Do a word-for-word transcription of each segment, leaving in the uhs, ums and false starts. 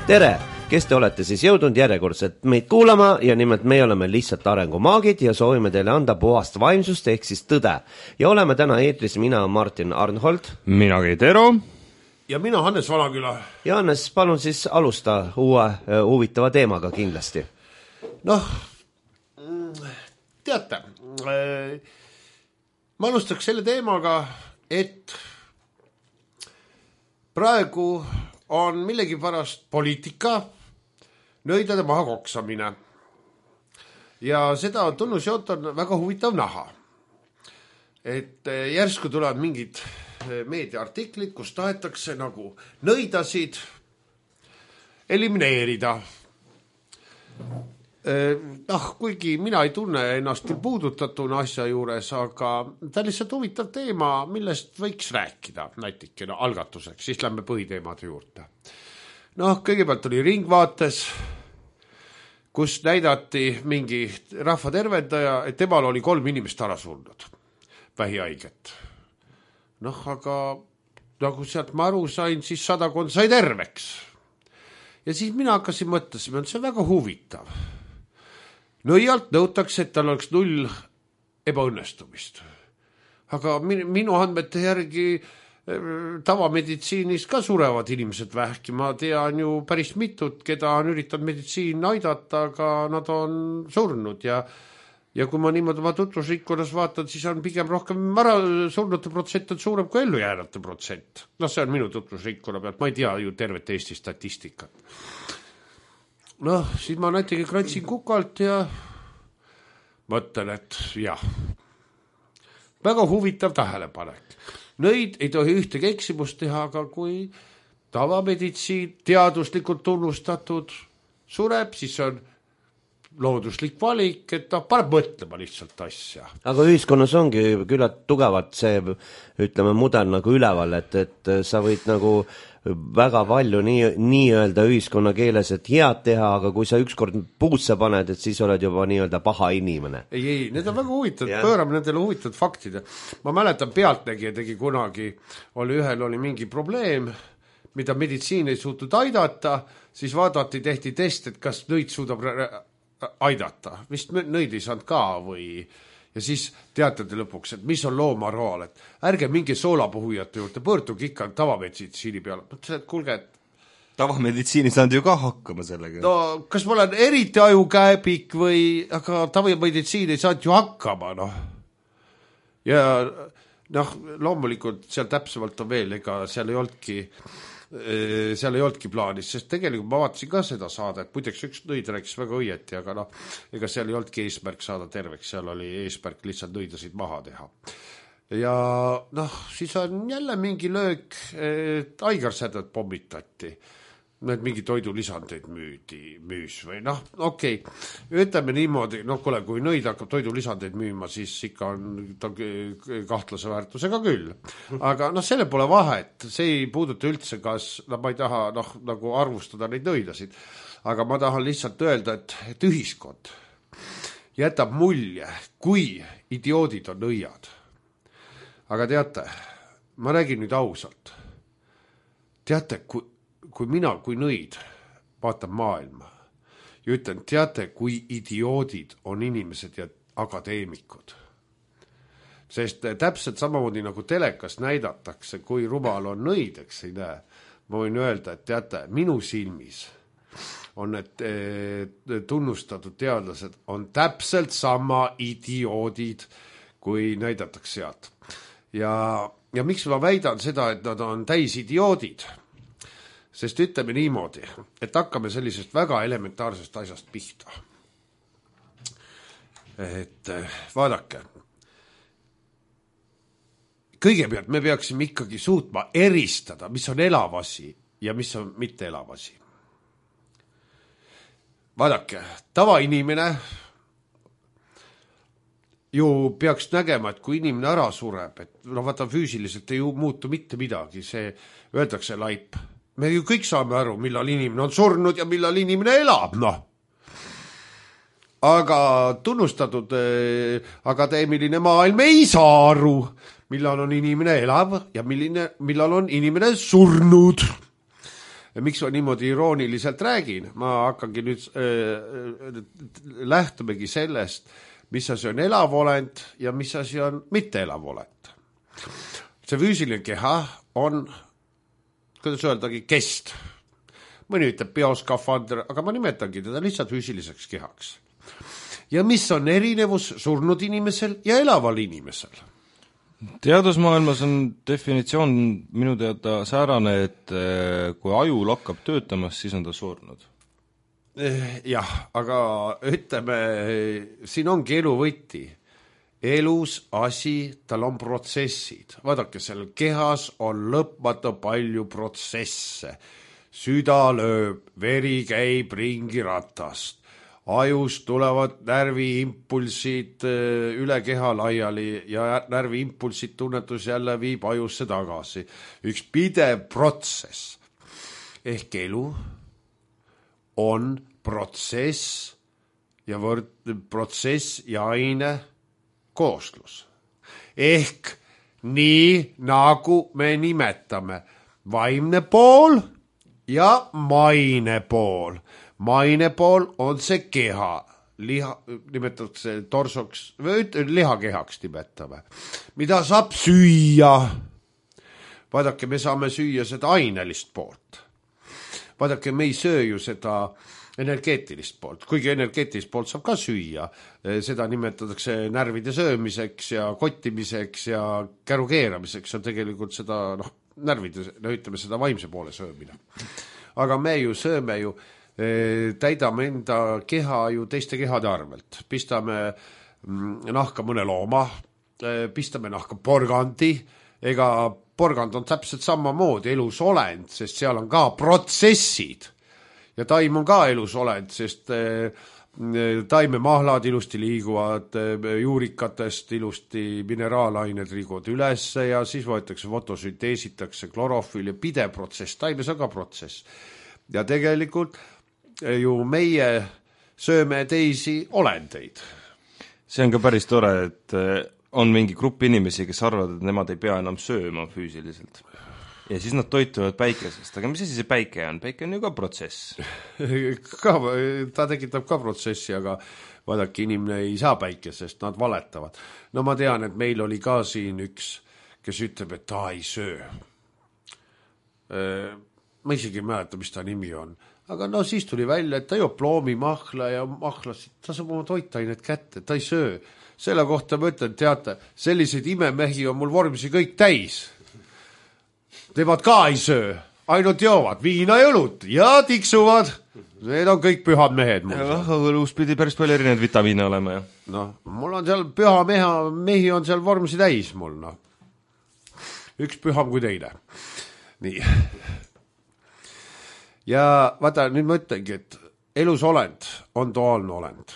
tere, kes te olete siis jõudnud järjekordselt meid kuulama ja nimelt me oleme lihtsalt arengumaagid ja soovime teile anda puhast vaimsust ehk siis tõde. Ja oleme täna eetris mina Martin Arnhold. Mina Keit Ero. Ja mina Hannes Valaküla. Ja Hannes, palun siis alusta uue uh, huvitava teemaga kindlasti. Noh, teate, ma alustaks selle teemaga, et praegu on millegi pärast poliitika nõidade maha koksamine. Ja seda tunnusjoot on väga huvitav näha. Et järsku tulevad mingid meediaartiklid, kus tahetakse nagu nõidasid elimineerida. Noh, kuigi mina ei tunne ennast puudutatuna asja juures, aga ta on lihtsalt huvitav teema, millest võiks rääkida näitikena algatuseks, siis lähme põhiteemade juurde. Noh, kõigepealt oli Ringvaates, kus näidati mingi rahvatervendaja, et temal oli kolm inimest ära surnud, vähihaiget. Noh, aga nagu sealt ma aru sain, siis sadakond sai terveks. Ja siis mina hakkasin mõtlesima, et see on väga huvitav. Nõialt nõutakse, et tal oleks null ebaõnnestumist. Aga minu andmete järgi tavameditsiinis ka surevad inimesed vähki. Ma tean ju päris mitut, keda on üritanud meditsiin aidata, aga nad on surnud. Ja, ja kui ma niimoodi oma tutvusrikkunas vaatan, siis on pigem rohkem ära surnute protsent on suurem kui ellu jäänate protsent. No see on minu tutvusrikkuna pealt. Ma ei tea ju tervet Eesti statistikat. Noh, siis ma näitegi kratsin kukalt ja mõtlen, et jah, väga huvitav tähelepanek. Nõid ei tohi ühtegi eksimust teha, aga kui tavameditsiin teaduslikult tunnustatud sureb, siis on looduslik valik, et ta paneb mõtlema lihtsalt asja. Aga ühiskonnas ongi küllalt tugevalt see, ütleme, mudel nagu üleval, et, et sa võid nagu väga palju nii, nii öelda ühiskonna keeles, et head teha, aga kui sa ükskord puusse paned, et siis oled juba nii öelda paha inimene. Ei, ei, need on väga huvitavad, yeah. Pöörame nendele huvitavad faktid. Ma mäletan, Pealtnägija tegi kunagi, oli ühel oli mingi probleem, mida meditsiin ei suutnud aidata, siis vaadati, tehti test, et kas nõid suudab aidata. Vist nõid ei saanud ka või... Ja siis teatate lõpuks, et mis on loomaroal, et ärge mingi soolapuhujate juurde, pöörduge ikka tavameditsiini peale. Mõtlesin, et kulge, et... Tavameditsiini saanud ju ka hakkama sellega. No, kas ma olen eriti ajukäebik või... Aga tavameditsiin ei saanud ju hakkama, noh. Ja noh, loomulikult seal täpsemalt on veel, ega seal ei olnudki... seal ei olnudki plaanis, sest tegelikult ma vaatasin ka seda saadet, muideks üks nõid rääkis väga õieti, aga noh, ega seal ei olnudki eesmärk saada terveks, seal oli eesmärk lihtsalt nõidasid maha teha. Ja noh, siis on jälle mingi löök, et aigarsädet pommitati, need mingi toidulisandeid müüdi, müüs või noh, okei, okay. Ütleme niimoodi, noh kuule, kui nõid hakkab toidulisandeid müüma, siis ikka on ta kahtlase väärtusega küll. Aga noh, selle pole vahet, see ei puuduta üldse, kas, no ma ei taha noh, nagu arvustada neid nõidasid, aga ma tahan lihtsalt öelda, et, et ühiskond jätab mulje, kui idioodid on nõiad. Aga teate, ma räägin nüüd ausalt. Teate, kui kui mina, kui nõid vaatan maailma ja ütlen, teate, kui idioodid on inimesed ja akadeemikud. Sest täpselt samamoodi nagu telekas näidatakse, kui rumal on nõid, eks ei näe. Ma võin öelda, et teate, minu silmis on need tunnustatud teadlased on täpselt sama idioodid, kui näidatakse sealt. Ja, ja miks ma väidan seda, et nad on täis idioodid? Sest ütleme niimoodi, et hakkame sellisest väga elementaarsest asjast pihta. Et vaadake, kõigepealt me peaksime ikkagi suutma eristada, mis on elav asi ja mis on mitte elav asi. Vaadake, tavainimene ju peaks nägema, et kui inimene ära sureb, et no vaata füüsiliselt ei muutu mitte midagi, see öeldakse laip. Me ju kõik saame aru, millal inimene on surnud ja millal inimene elab, noh. Aga tunnustatud eh, akadeemiline maailm ei saa aru, millal on inimene elav ja milline, millal on inimene surnud. miks ma niimoodi irooniliselt räägin, ma hakkangi nüüd äh, lähtumegi sellest, mis asi on elav olend ja mis asi on mitte elav olend. See füüsiline keha on, kuidas öeldagi, kest. Mõni ütleb bioskafandr, aga ma nimetangi teda lihtsalt füüsiliseks kehaks. Ja mis on erinevus surnud inimesel ja elaval inimesel? Teadusmaailmas on definitsioon minu teada säärane, et kui aju lakkab töötamas, siis on ta surnud. Jah, aga ütleme, siin ongi elu võti. Elus asi, tal on protsessid. Vaadake, seal kehas on lõpmata palju protsesse. Süda lööb, veri käib ringi ratast. Ajust tulevad närviimpulsid üle keha laiali ja närviimpulsid tunnetus jälle viib ajusse tagasi. Üks pidev protsess. Ehk elu on protsess ja võrd, protsess ja aine kooslus. Ehk nii nagu me nimetame vaimne pool ja maine pool. Maine pool on see keha, liha, nimetatakse torsoks, või lihakehaks nimetame, mida saab süüa. Vaadake, me saame süüa seda ainelist poolt. Vaadake, me ei söö ju seda energeetilist poolt, kuigi energeetilist poolt saab ka süüa. Seda nimetatakse närvide söömiseks ja kottimiseks ja käru keeramiseks on tegelikult seda, noh, närvide, no ütleme seda vaimse poole söömine. Aga me ju sööme ju, täidame enda keha ju teiste kehade arvelt. Pistame nahka mõne looma, pistame nahka porgandi, ega porgand on täpselt samamoodi elus olend, sest seal on ka protsessid. Ja taim on ka elus olend, sest taimemahlad ilusti liiguvad, juurikatest ilusti mineraalained liiguvad üles ja siis võetakse fotosünteesitakse klorofil ja pidev protsess, taimes on ka protsess. Ja tegelikult ju meie sööme teisi olendeid. See on ka päris tore, et on mingi grupp inimesi, kes arvavad, et nemad ei pea enam sööma füüsiliselt. Ja siis nad toituvad päikesest, aga mis asi see päike on? Päike on ju ka protsess. Ka, ta tekitab ka protsessi, aga vaadake, inimene ei saa päikesest, nad valetavad. No ma tean, et meil oli ka siin üks, kes ütleb, et ta ei söö. Ma isegi ei mäleta, mis ta nimi on. Aga no siis tuli välja, et ta joob ploomi mahla ja mahlasid, ta saab oma toitainet kätte, ta ei söö. Selle kohta ma ütlen, teate, selliseid imemehi on mul vormisi kõik täis. Nemad ka ei söö, ainult joovad viina ja õlut ja tiksuvad. Need on kõik pühad mehed. Õlus pidi päris palju erinevaid vitamiine olema. Ja. No, mul on seal püha meha, mehi on seal vormsi täis mul. No. Üks püham kui teine. Nii. Ja vaata, nüüd ma ütlengi, et elus olend on duaalne olend.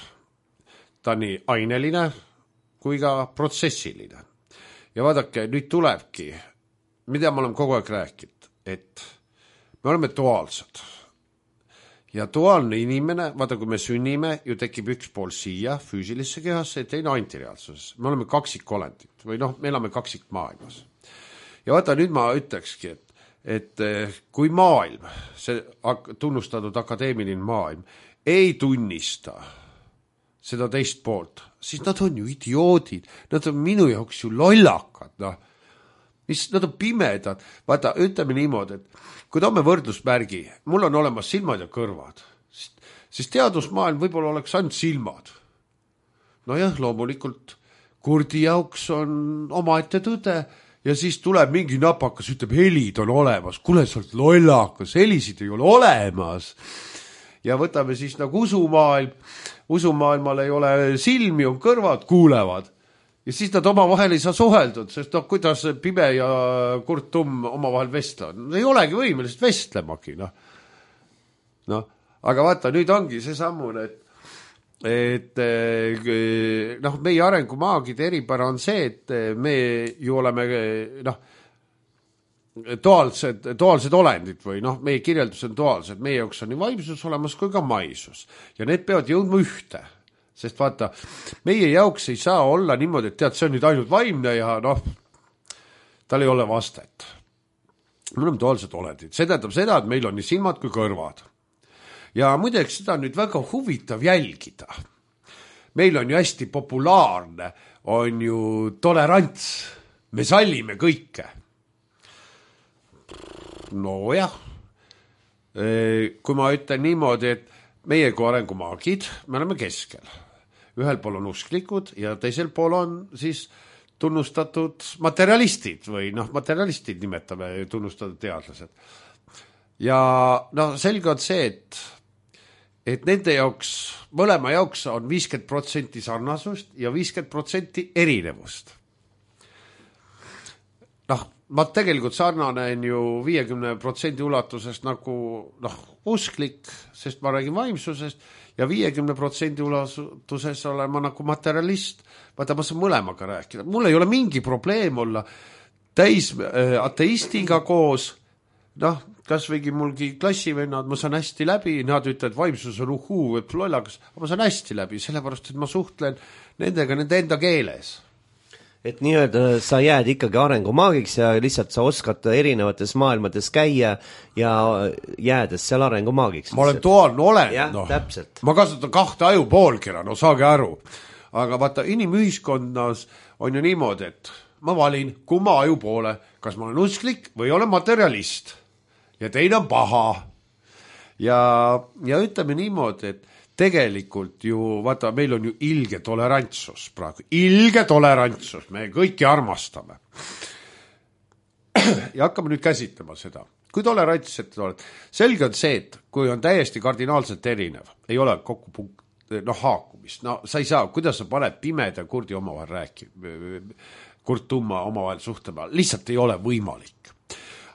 Ta on nii aineline kui ka protsessiline. Ja vaadake, nüüd tulebki, mida ma olen kogu aeg rääkinud, et me oleme duaalsed. Ja duaalne inimene, vaata kui me sünnime, ju tekib üks pool siia füüsilisse kehasse ja teine antireaalsuses. Me oleme kaksikolendid või noh, me elame kaksikmaailmas. Ja vaata nüüd ma ütlekski, et, et kui maailm, see tunnustatud akadeemiline maailm, ei tunnista seda teist poolt, siis nad on ju idioodid, nad on minu jaoks ju lollakad, noh. Mis, nad on pimedad. Vaata, ütleme niimoodi, et kui toome võrdlusmärgi, mul on olemas silmad ja kõrvad, siis teadusmaailm võib-olla oleks ainult silmad. No jah, loomulikult kurdi jaoks on omaette tõde ja siis tuleb mingi napakas, ütleb, helid on olemas. Kule, sa oled lollakas, helisid ei ole olemas. Ja võtame siis nagu usumaailm. Usumaailmal ei ole silmi, on kõrvad, kuulevad. Ja siis nad omavahel ei saa suheldud, sest no, kuidas pime ja kurt tumm omavahel vestla. Ei olegi võimelised vestlemagi. No. No, aga vaata, nüüd ongi see sammune, et, et noh, meie arengumaagide eripära on see, et me ju oleme noh, duaalsed, duaalsed olendid või noh, meie kirjeldus on duaalsed. Meie jaoks on nii vaimsus olemas kui ka maisus. Ja need peavad jõudma ühte. Sest vaata, meie jaoks ei saa olla niimoodi, et tead, see on nüüd ainult vaimne ja noh, tal ei ole vastet. me oleme duaalsed olendid, see tähendab seda, et meil on nii silmad kui kõrvad. Ja muideks seda on nüüd väga huvitav jälgida. Meil on ju hästi populaarne, on ju tolerants, me sallime kõike. No jah, kui ma ütlen niimoodi, et meie kui arengumaagid, me oleme keskel. Ühel pool on usklikud ja teisel pool on siis tunnustatud materialistid või noh, materialistid nimetame tunnustatud teadlased. Ja noh, selge on see, et et nende jaoks, mõlema jaoks on viiskümmend protsenti sarnasust ja viiskümmend protsenti erinevust. Noh, ma tegelikult sarnanen ju viiekümne protsendi ulatusest nagu noh, usklik, sest ma räägin vaimsusest ja viiekümne protsendi ulatuses olen ma nagu materialist. Vaata, ma saan mõlemaga rääkida. Mul ei ole mingi probleem olla täis äh, ateistiga koos. Noh, kas võigi mulgi klassivennad, ma saan hästi läbi, nad ütlevad, vaimsus on uhuu, et lollakas, aga ma saan hästi läbi, sellepärast, et ma suhtlen nendega nende enda keeles. Et nii-öelda sa jääd ikkagi arengumaagiks ja lihtsalt sa oskad erinevates maailmades käia ja jäädes seal arengumaagiks. Ma olen duaalne olend, jah, no. Täpselt. Ma kasutan kahte aju poolkera, no saage aru. Aga vaata, inimühiskonnas on ju niimoodi, et ma valin kumma aju poole, kas ma olen usklik või olen materialist. Ja teine on paha. Ja, ja ütleme niimoodi, et tegelikult ju, vaata, meil on ju ilge tolerantsus praegu. Ilge tolerantsus, me kõiki armastame. Ja hakkame nüüd käsitlema seda. Kui tolerantsed oled, selge on see, et kui on täiesti kardinaalselt erinev, ei ole kokku punkt, noh, haakumist. No sa ei saa, kuidas sa paned pimeda kurdi omavahel rääkima, kurt tumma omavahel suhtlema, lihtsalt ei ole võimalik.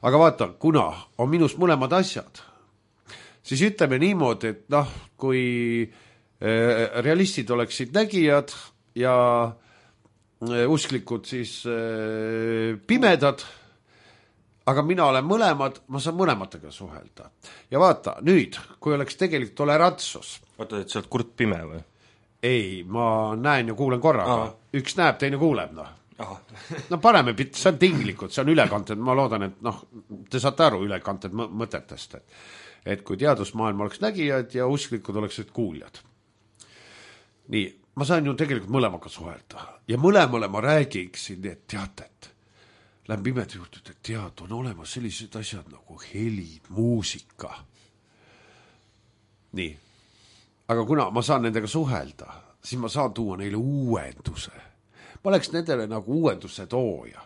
Aga vaata, kuna on minus mõlemad asjad, siis ütleme niimoodi, et noh, kui realistid oleksid nägijad ja usklikud siis pimedad, aga mina olen mõlemad, ma saan mõlematega suhelda. Ja vaata, nüüd, kui oleks tegelikult tolerantsus. Vaata, et sa oled kurt pime või? Ei, ma näen ja kuulen korraga. Aha. Üks näeb, teine kuuleb, noh. Aha. No parem, see on tinglikud, see on ülekanted, ma loodan, et noh, te saate aru ülekanted mõtetest, et, et kui teadusmaailm oleks nägijad ja usklikud oleksid kuuljad. Nii, ma saan ju tegelikult mõlemaga suhelda ja mõlemale ma räägiksin, et teate, et lähen pimeda juurde, et tead, on olemas sellised asjad nagu helid, muusika. Nii, aga kuna ma saan nendega suhelda, siis ma saan tuua neile uuenduse. Ma oleks nendele nagu uuenduse tooja.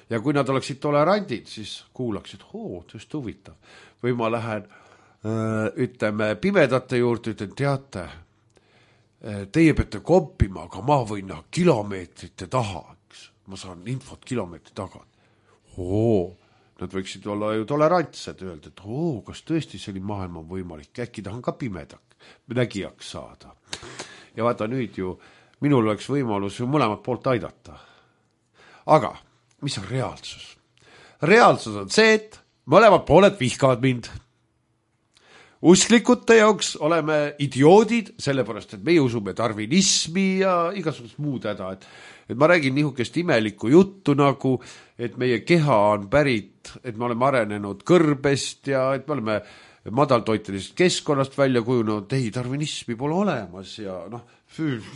Ja kui nad oleksid tolerandid, siis kuulaksid, oo, tõest huvitav. Või ma lähen, ütleme, pimedate juurde, ütlen, teate, teie peate kompima, aga ma võin kilomeetrite taha, eks. Ma saan infot kilomeetri taga. Oo, nad võiksid olla ju tolerantsed, öelda, et oo, kas tõesti selline maailm on võimalik, äkki tahan ka pimedak, nägijaks saada. Ja vaata nüüd ju, minul oleks võimalus ju mõlemat poolt aidata. Aga, mis on reaalsus? Reaalsus on see, et mõlemad pooled vihkavad mind. Usklikute jaoks oleme idioodid, sellepärast, et meie usume darwinismi ja igasugust muud häda. Et, et ma räägin nihukest imelikku juttu nagu, et meie keha on pärit, et me oleme arenenud kõrbest ja et me oleme madaltoitelisest keskkonnast välja kujunenud, ei, darwinismi pole olemas ja noh,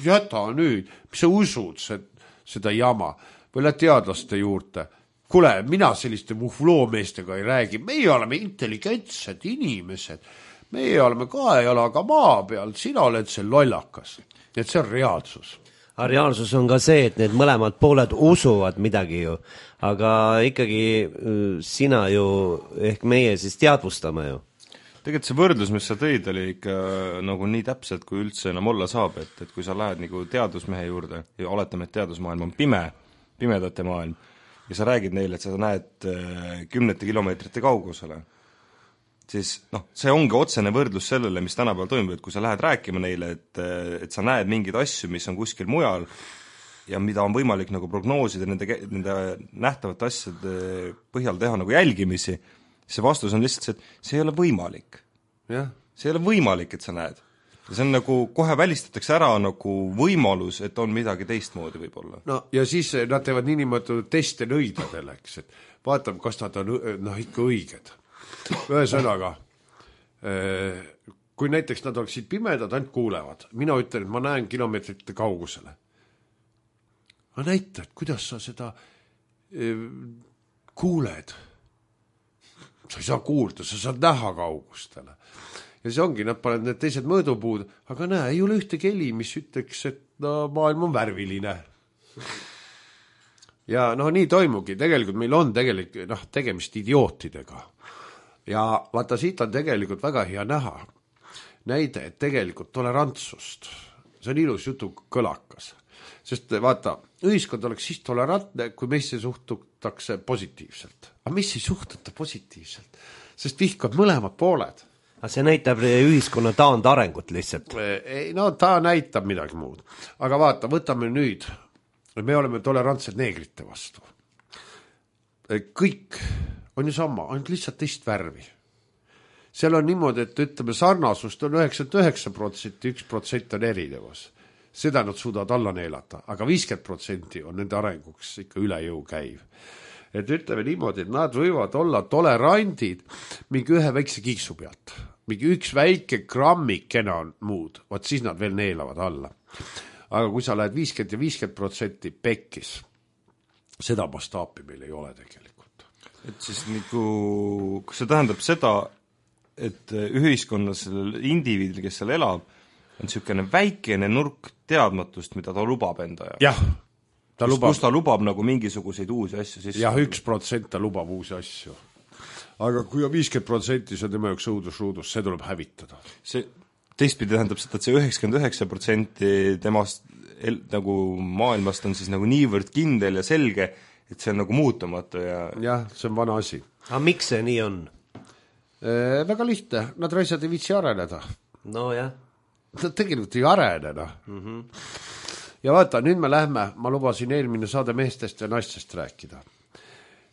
jäta nüüd, mis sa usud seda jama või lähed teadlaste juurde. Kule, mina selliste muhvloomeestega ei räägi, meie oleme intelligentsed inimesed, meie oleme kaejalaga maa peal, sina oled see lollakas, et see on reaalsus. Aga reaalsus on ka see, et need mõlemad pooled usuvad midagi ju, aga ikkagi sina ju, ehk meie siis teadvustame ju. Tegelikult see võrdlus, mis sa tõid, oli ikka nagu nii täpselt, kui üldse enam olla saab, et, et kui sa lähed nagu teadusmehe juurde ja oletame, et teadusmaailm on pime, pimedate maailm, ja sa räägid neile, et sa näed kümnete kilomeetrite kaugusele, siis noh, see ongi otsene võrdlus sellele, mis tänapäeval toimub, et kui sa lähed rääkima neile, et, et sa näed mingeid asju, mis on kuskil mujal ja mida on võimalik nagu prognoosida nende, nende nähtavate asjade põhjal teha nagu jälgimisi, see vastus on lihtsalt see, et see ei ole võimalik. Ja. See ei ole võimalik, et sa näed. see on nagu, kohe välistatakse ära nagu võimalus, et on midagi teistmoodi võib-olla. No ja siis nad teevad niinimetatud teste nõidadele, eks, et vaatame, kas nad on noh, ikka õiged. Ühesõnaga, kui näiteks nad oleksid pimedad, ainult kuulevad. Mina ütlen, et ma näen kilomeetrite kaugusele. Ma näitan, kuidas sa seda kuuled. Sa ei saa kuulda, sa saad näha kaugustele. Ja see ongi, nad paned need teised mõõdupuud, aga näe, ei ole ühte keli, mis ütleks, et no, maailm on värviline. Ja noh, nii toimugi. Tegelikult meil on tegelikult noh, tegemist idiootidega. Ja vaata, siit on tegelikult väga hea näha. Näide, et tegelikult tolerantsust. See on ilus jutu kõlakas. Sest vaata, ühiskond oleks siis tolerantne, kui meisse suhtutakse positiivselt. Aga mis ei suhtuta positiivselt? Sest vihkab mõlemad pooled. Aga see näitab ühiskonna taandarengut lihtsalt. Ei, no ta näitab midagi muud. Aga vaata, võtame nüüd, me oleme tolerantsed neegrite vastu. Kõik on ju sama, ainult lihtsalt teist värvi. Seal on niimoodi, et ütleme, sarnasust on üheksakümmend üheksa protsenti, üks protsent on erinevus. Seda nad suudavad alla neelata, aga viiskümmend protsenti on nende arenguks ikka üle jõu käiv. Et ütleme niimoodi, et nad võivad olla tolerandid mingi ühe väikse kiiksu pealt. Mingi üks väike grammikena on muud, vaat siis nad veel neelavad alla. Aga kui sa lähed viiskümmend ja viiskümmend protsenti pekkis, seda mastaapi meil ei ole tegelikult. Et siis nagu, kas see tähendab seda, et ühiskonnas indiviidil, kes seal elab, on niisugune väikene nurk teadmatust, mida ta lubab enda ja. Jah. Ta kus, lubab, kus ta lubab nagu mingisuguseid uusi asju sisse. Jah, üks protsent ta lubab uusi asju. Aga kui on viiskümmend protsenti, see on tema üks õudusruudus, see tuleb hävitada. See teistpidi tähendab seda, et see üheksakümmend üheksa protsenti temast el, nagu maailmast on siis nagu niivõrd kindel ja selge, et see on nagu muutumatu ja... Jah, see on vana asi. Aga miks see nii on? E, väga lihtne, nad raisad ei viitsi areneda. No jah. Nad tegelikult ei areneda. Mm-hmm. Ja vaata, nüüd me lähme, ma lubasin eelmine saade meestest ja naistest rääkida.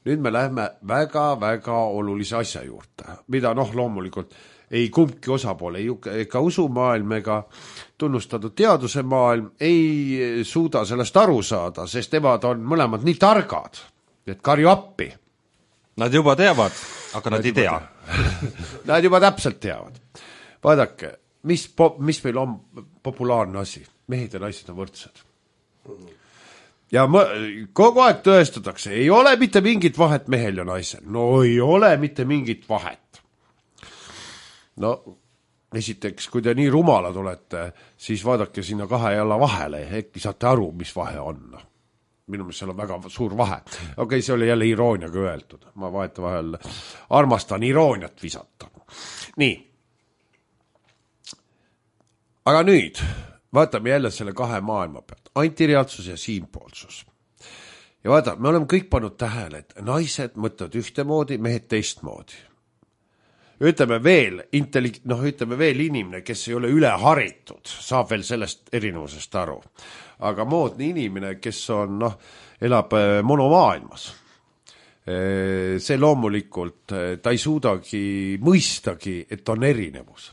Nüüd me lähme väga-väga olulise asja juurde, mida noh, loomulikult ei kumbki osapoole, ega usumaailm ega tunnustatud teaduse maailm ei suuda sellest aru saada, sest nemad on mõlemad nii targad, et karju appi. Nad juba teavad, aga nad, nad ei tea. Nad juba täpselt teavad. Vaadake, mis, po- mis meil on populaarne asi? Mehed ja naised on võrdsed. Ja ma, kogu aeg tõestatakse, ei ole mitte mingit vahet mehel ja naisel. No ei ole mitte mingit vahet. No, esiteks, kui te nii rumalad olete, siis vaadake sinna kahe jala vahele, äkki saate aru, mis vahe on. Minu meelest seal on väga suur vahe. Okei, okay, see oli jälle irooniaga öeldud. Ma vahet vahel armastan irooniat visata. Nii. Aga nüüd vaatame jälle selle kahe maailma pealt. Antireaalsus ja siinpoolsus. Ja vaata, me oleme kõik pannud tähele, et naised mõtlevad ühtemoodi, mehed teistmoodi. Ütleme veel, intelli- noh, ütleme veel inimene, kes ei ole üle haritud, saab veel sellest erinevusest aru. Aga moodne inimene, kes on, noh, elab monomaailmas. See loomulikult, ta ei suudagi mõistagi, et on erinevus.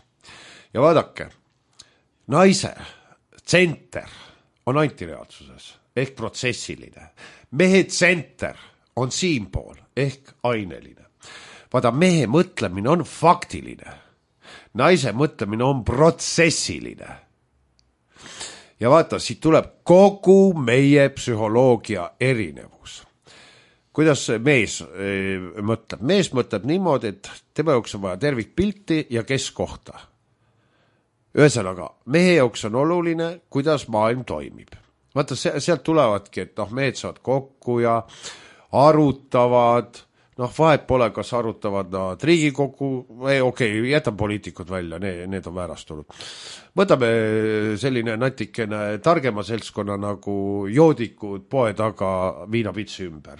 Ja vaadake, naise tsenter on antireaalsuses ehk protsessiline. Mehe tsenter on siinpool ehk aineline. Vaada, mehe mõtlemine on faktiline. Naise mõtlemine on protsessiline. Ja vaata, siit tuleb kogu meie psühholoogia erinevus. Kuidas mees e, mõtleb? Mees mõtleb niimoodi, et tema jaoks on vaja tervikpilti ja keskohta. Ühesõnaga, mehe jaoks on oluline, kuidas maailm toimib. Vaata, sealt tulevadki, et noh, mehed saavad kokku ja arutavad, noh, vahet pole, kas arutavad nad Riigikogu, okei, okay, jätan poliitikud välja, need, need on väärastunud. Võtame selline natikene targema seltskonna nagu joodikud poe taga viinapitsi ümber.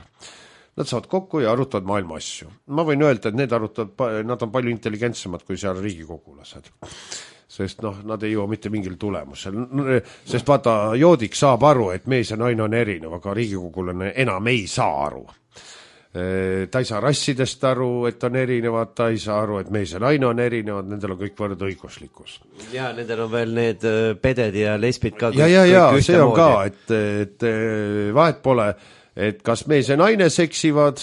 Nad saavad kokku ja arutavad maailma asju. Ma võin öelda, et need arutavad, nad on palju intelligentsemad kui seal riigikogulased. Sest noh, nad ei jõua mitte mingil tulemusel. Sest vaata, joodik saab aru, et mees ja naine on erinev, aga riigikogulane enam ei saa aru. ta ei saa rassidest aru, et on erinevad, ta ei saa aru, et mees ja naine on erinevad, nendel on kõik võrdõiguslikkus. Ja nendel on veel need peded ja lesbid ka. Ja, ja, ja, see on ka, et, et vahet pole, et kas mees ja naine seksivad,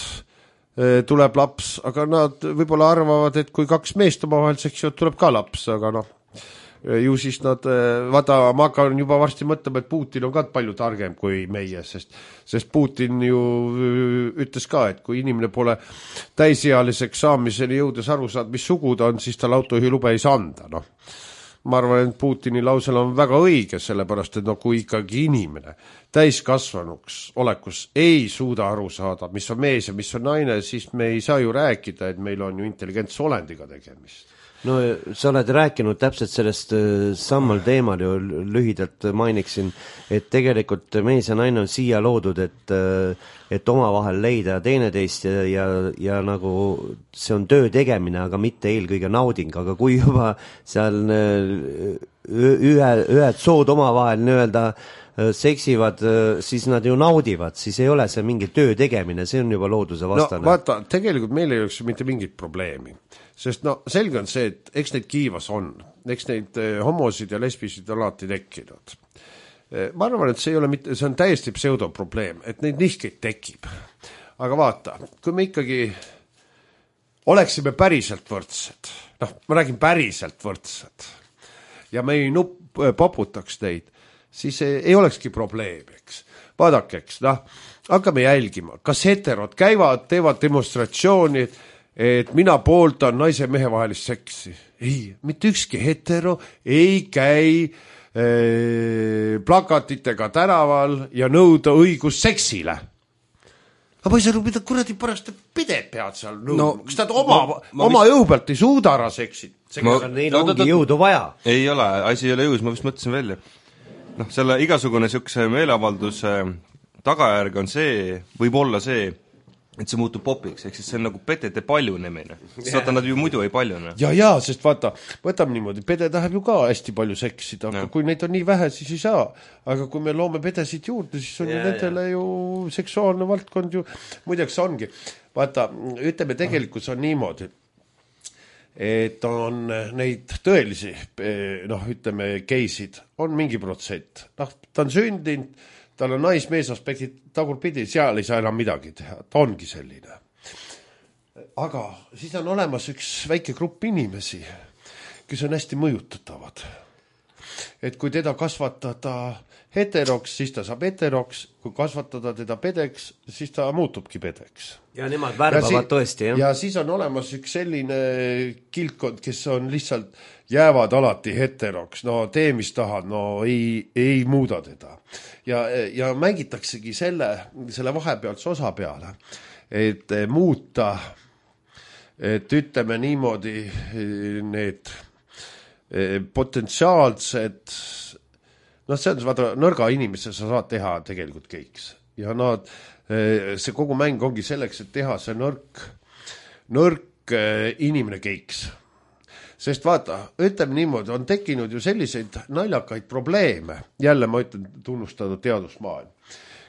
tuleb laps, aga nad võib-olla arvavad, et kui kaks meest oma vahel seksivad, tuleb ka laps, aga noh, ju siis nad, vaata, ma hakkan juba varsti mõtlema, et Putin on ka palju targem kui meie, sest, sest Putin ju ütles ka, et kui inimene pole täisealiseks saamiseni jõudes aru saad, mis sugu ta on, siis tal autojuhilube ei saa anda, noh. Ma arvan, et Putini lausel on väga õige, sellepärast, et no kui ikkagi inimene täiskasvanuks olekus ei suuda aru saada, mis on mees ja mis on naine, siis me ei saa ju rääkida, et meil on ju intelligentse olendiga tegemist. No sa oled rääkinud täpselt sellest samal teemal ju lühidalt mainiksin, et tegelikult mees ja naine on siia loodud, et, et oma vahel leida teineteist ja, ja, ja nagu see on töö tegemine, aga mitte eelkõige nauding, aga kui juba seal ühe, ühed sood oma vahel nii-öelda seksivad, siis nad ju naudivad, siis ei ole see mingi töö tegemine, see on juba looduse vastane. No vaata, tegelikult meil ei oleks mitte mingit probleemi, sest no selge on see, et eks neid kiivas on, eks neid homosid ja lesbisid on alati tekkinud. Ma arvan, et see ei ole mitte, see on täiesti pseudoprobleem, et neid nihkeid tekib. Aga vaata, kui me ikkagi oleksime päriselt võrdsed, noh, ma räägin päriselt võrdsed, ja me ei nupp, poputaks neid, siis ei olekski probleem, eks. Vaadake, eks, noh, hakkame jälgima, kas heterod käivad, teevad demonstratsiooni, et mina pooltan naise ja mehe vahelist seksi. Ei, mitte ükski hetero ei käi ee, plakatitega tänaval ja nõuda õigus seksile. Aga ma ei saa aru, mida kuradi pärast pided pead seal nõudma. No, kas ta oma, ma, ma oma vist... jõu pealt ei suuda ära seksid? Ma... Neil no, ongi jõudu vaja. Ei ole, asi ei ole jõus, ma vist mõtlesin välja. Noh, selle igasugune siukse meeleavalduse tagajärg on see, võib olla see, et see muutub popiks, ehk siis see on nagu pedede paljunemine. Saata nad ju muidu ei paljune. Ja, ja, sest vaata, võtame niimoodi, pede tahab ju ka hästi palju seksida, aga ja. Kui neid on nii vähe, siis ei saa. Aga kui me loome pedesid juurde, siis on ja, ju nendele ja. Ju seksuaalne valdkond ju, muideks ongi. Vaata, ütleme, tegelikult on niimoodi, et on neid tõelisi, noh, ütleme, geisid, on mingi protsent. Noh, ta on sündinud, tal on naismees aspektid tagurpidi, seal ei saa enam midagi teha, ta ongi selline. Aga siis on olemas üks väike grupp inimesi, kes on hästi mõjutatavad. Et kui teda kasvatada heteroks, siis ta saab heteroks, kui kasvatada teda pedeks, siis ta muutubki pedeks. Ja nemad värbavad si tõesti, jah? Ja siis on olemas üks selline kilkond, kes on lihtsalt jäävad alati heteroks, no tee mis tahad, no ei, ei muuda teda. Ja, ja mängitaksegi selle, selle vahepealse osa peale, et muuta, et ütleme niimoodi need potentsiaalsed, noh, see on, vaata, nõrga inimese sa saad teha tegelikult keiks. Ja nad, see kogu mäng ongi selleks, et teha see nõrk, nõrk inimene keiks. Sest vaata, ütleme niimoodi, on tekkinud ju selliseid naljakaid probleeme, jälle ma ütlen tunnustada teadusmaailm.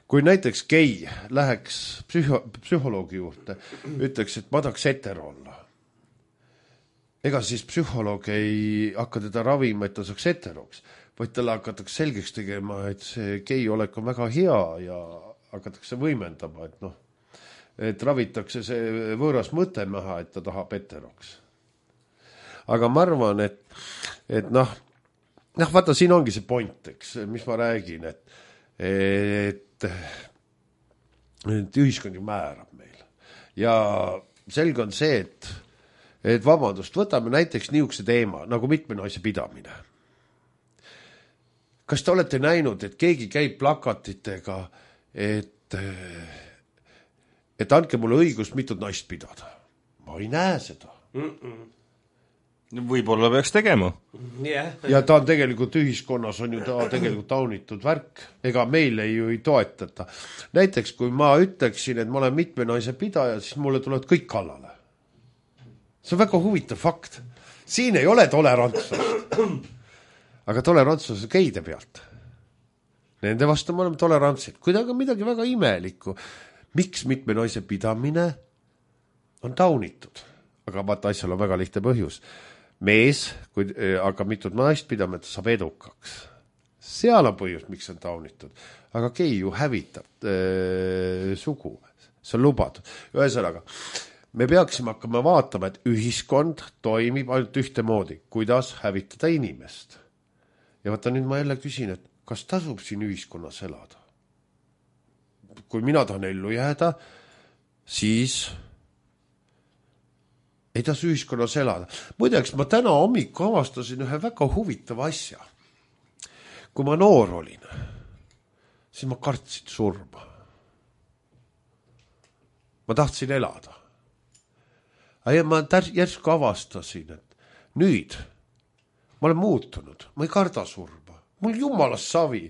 Kui näiteks gei läheks psühho, psühholoogi juurde, ütleks, et ma tahaks hetero olla. Ega siis psühholoog ei hakka teda ravima, et ta saaks heteroks, vaid talle hakatakse selgeks tegema, et see gei olek on väga hea ja hakatakse võimendama, et noh, et ravitakse see võõras mõte maha, et ta tahab heteroks. Aga ma arvan, et, et noh, noh, vaata, siin ongi see point, eks, mis ma räägin, et, et, et ühiskond ju määrab meil. Ja selge on see, et, et vabandust, võtame näiteks niisuguse teema, nagu mitme naise pidamine. Kas te olete näinud, et keegi käib plakatitega, et, et andke mulle õigust mitut naist pidada? Ma ei näe seda. Mm-mm. Võib-olla peaks tegema. Yeah. Ja ta on tegelikult ühiskonnas on ju ta tegelikult taunitud värk. Ega meile ju ei toetata. Näiteks, kui ma ütleksin, et ma olen mitme naise pidaja, siis mulle tulevad kõik kallale. See on väga huvitav fakt. Siin ei ole tolerantsust. Aga tolerantsus on geide pealt. Nende vastu me oleme tolerantsid. Kuidagi on midagi väga imelikku. miks mitme naise pidamine on taunitud? Aga vaata, asjal on väga lihtne põhjus. Mees, kui hakkab mitut naist pidama, et ta saab edukaks. Seal on põhjus, miks on taunitud. Aga gei ju hävitab äh, sugu. See on lubatud. Ühesõnaga, me peaksime hakkama vaatama, et ühiskond toimib ainult ühte moodi, kuidas hävitada inimest. Ja vaata, nüüd ma jälle küsin, et kas tasub siin ühiskonnas elada? Kui mina tahan ellu jääda, siis ei tasu ühiskonnas elada. Muideks, ma täna hommikul avastasin ühe väga huvitava asja. Kui ma noor olin, siis ma kartsin surma. Ma tahtsin elada. Ja ma järsku avastasin, et nüüd ma olen muutunud. Ma ei karda surma. Mul jumalast savi.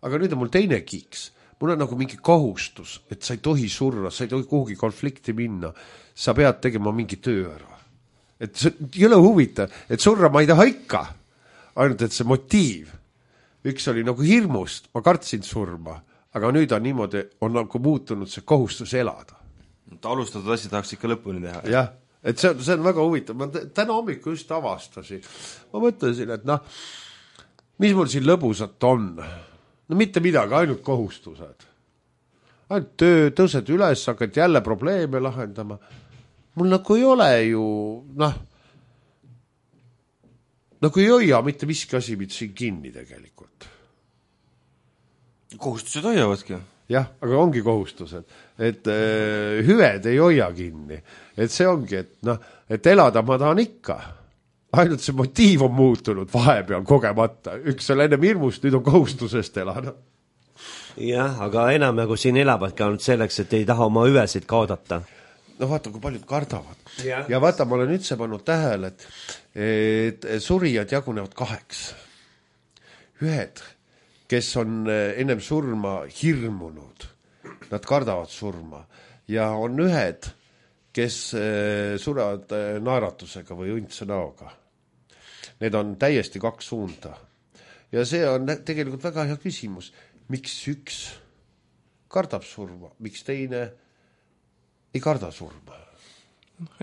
Aga nüüd on mul teine kiiks. Mul on nagu mingi kohustus, et sa ei tohi surra, sa ei tohi kuhugi konflikti minna. Sa pead tegema mingi töö ära. Et see ei ole huvitav, et surra ma ei taha ikka. Ainult, et see motiiv. Üks oli nagu hirmust, ma kartsin surma. Aga nüüd on niimoodi, on nagu muutunud see kohustus elada. Ta alustatud asi tahaks ikka lõpuni teha. Jah, et see on, see on väga huvitav. Ma täna hommikul just avastasin. Ma mõtlesin, et noh, mis mul siin lõbusat on? No mitte midagi, ainult kohustused. Ainult töö, tõused üles, hakkad jälle probleeme lahendama. Mul nagu ei ole ju, noh, nagu ei hoia mitte miski asi mitte siin kinni tegelikult. Kohustused hoiavadki. Jah, aga ongi kohustused. Et äh, hüved ei hoia kinni. Et see ongi, et, noh, et elada ma tahan ikka. Ainult see motiiv on muutunud vahepeal kogemata. Üks on ennem hirmust, nüüd on kohustusest elada. Jah, aga enam nagu siin elabadki ainult selleks, et ei taha oma hüvesid kaodata. No vaata, kui paljud kardavad. Ja, ja vaata, ma olen üldse pannud tähele, et, et surijad jagunevad kaheks. Ühed, kes on ennem surma hirmunud, nad kardavad surma. Ja on ühed, kes surevad naeratusega või õndse näoga. Need on täiesti kaks suunda. Ja see on tegelikult väga hea küsimus. Miks üks kardab surma, miks teine ei karda surma?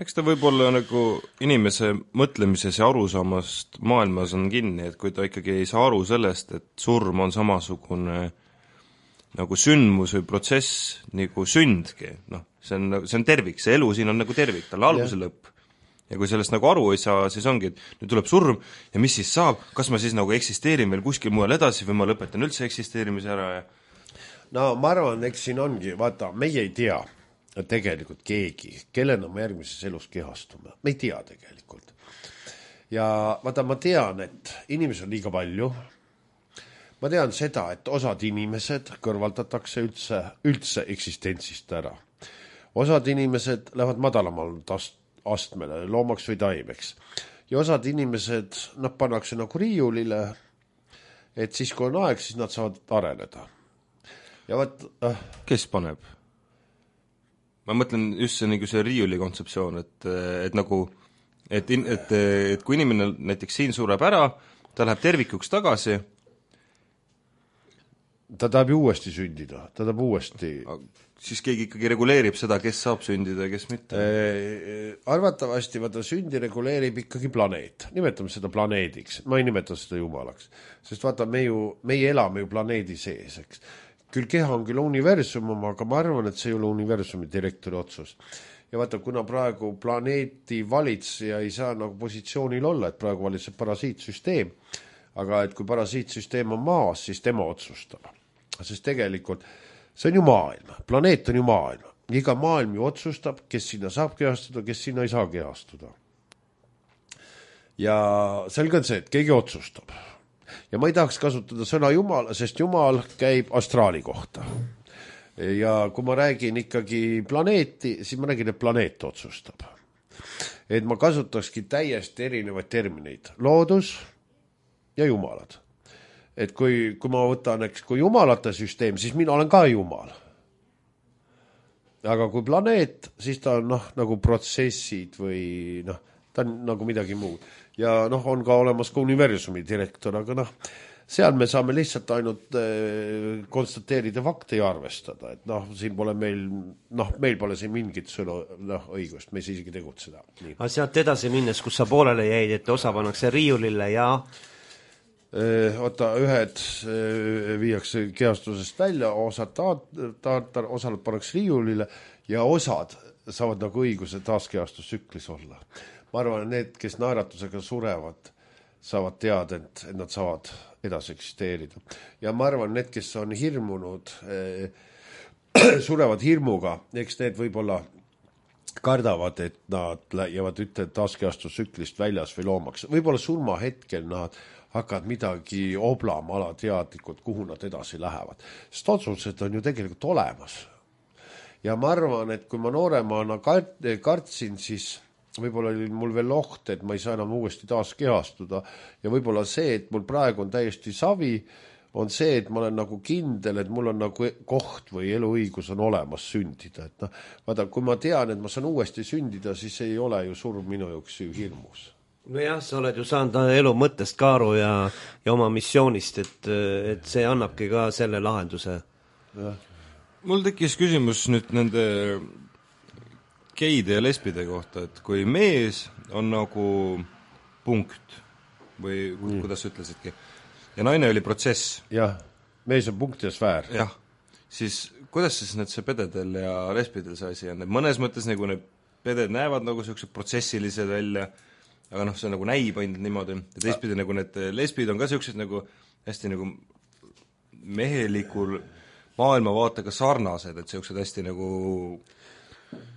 Eks ta võib-olla nagu inimese mõtlemises ja arusaamast maailmas on kinni, et kui ta ikkagi ei saa aru sellest, et surm on samasugune nagu sündmus või protsess nagu sündki, noh, see on, see on tervik, see elu siin on nagu tervik, tal algus ja lõpp. Ja kui sellest nagu aru ei saa, siis ongi, et nüüd tuleb surm ja mis siis saab, kas ma siis nagu eksisteerin veel kuskil mujal edasi või ma lõpetan üldse eksisteerimise ära ja... No ma arvan, eks siin ongi, vaata, meie ei tea tegelikult keegi, kellena me järgmises elus kehastume. Me ei tea tegelikult. Ja vaata, ma tean, et inimesi on liiga palju. Ma tean seda, et osad inimesed kõrvaldatakse üldse, üldse eksistentsist ära. Osad inimesed lähevad madalamal tast astmele, loomaks või taimeks. Ja osad inimesed, nad pannakse nagu riiulile, et siis kui on aeg, siis nad saavad areneda. Ja vaat, äh, kes paneb? Ma mõtlen just see, nagu see riiuli kontseptsioon, et, et nagu, et, et, et kui inimene näiteks siin sureb ära, ta läheb tervikuks tagasi. Ta tahab ju uuesti sündida, ta tahab uuesti... Siis keegi ikkagi reguleerib seda, kes saab sündida ja kes mitte? Arvatavasti vaata, sündi reguleerib ikkagi planeet. Nimetame seda planeediks. Ma ei nimeta seda jumalaks. Sest vaata, me ju, meie elame ju planeedi sees, eks. Küll keha on küll universum, aga ma arvan, et see ei ole universumi direktori otsus. Ja vaata, kuna praegu planeeti valitseja ei saa nagu positsioonil olla, et praegu valitseb parasiitsüsteem, aga et kui parasiitsüsteem on maas, siis tema otsustab. Sest tegelikult see on ju maailm, planeet on ju maailm. Iga maailm ju otsustab, kes sinna saab kehastuda, kes sinna ei saa kehastuda. Ja selge on see, et keegi otsustab. Ja ma ei tahaks kasutada sõna Jumal, sest Jumal käib astraali kohta. Ja kui ma räägin ikkagi planeeti, siis ma räägin, et planeet otsustab. Et ma kasutakski täiesti erinevaid termineid. Loodus ja jumalad. Et kui, kui ma võtan, eks, kui jumalate süsteem, siis mina olen ka jumal. Aga kui planeet, siis ta on noh, nagu protsessid või noh, ta on nagu midagi muud. Ja noh, on ka olemas ka universumi direktor, aga noh, seal me saame lihtsalt ainult äh, konstateerida fakte ja arvestada, et noh, siin pole meil, noh, meil pole siin mingit sõnu, noh, õigust, me ei saa isegi tegutseda. aga sealt edasi minnes, kus sa poolele jäid, et osa pannakse riiulile ja äh, oota, ühed äh, viiakse kehastusest välja, osad taat-, taat-, osad pannakse riiulile ja osad saavad nagu õiguse taaskehastustsüklis olla. Ma arvan, need, kes naeratusega surevad, saavad teada, et, et nad saavad edasi eksisteerida. Ja ma arvan, need, kes on hirmunud, eh, surevad hirmuga, eks need võib-olla kardavad, et nad jäävad ütle taaskehastustsüklist väljas või loomaks. Võib-olla surma hetkel nad hakkavad midagi oblama alateadlikult, kuhu nad edasi lähevad. Sest otsused on ju tegelikult olemas. Ja ma arvan, et kui ma nooremana kart, kartsin, siis võib-olla oli mul veel oht, et ma ei saa enam uuesti taas kehastuda ja võib-olla see, et mul praegu on täiesti savi, on see, et ma olen nagu kindel, et mul on nagu koht või eluõigus on olemas sündida. Et noh, vaata, kui ma tean, et ma saan uuesti sündida, siis ei ole ju surm minu jaoks ju hirmus. No jah, sa oled ju saanud elu mõttest kaaru ja, ja oma missioonist, et, et see annabki ka selle lahenduse. Ja. Mul tekkis küsimus nüüd nende geide ja lesbide kohta, et kui mees on nagu punkt või mm. kuidas sa ütlesidki, ja naine oli protsess. Jah, mees on punkt ja sfäär. Jah, siis kuidas siis need see pededel ja lesbidel see asi on? Mõnes mõttes nagu need peded näevad nagu sellised protsessilised välja, aga noh, see nagu näib ainult niimoodi, ja teistpidi nagu need lesbid on ka sellised nagu hästi nagu mehelikul maailmavaatega sarnased, et sellised hästi nagu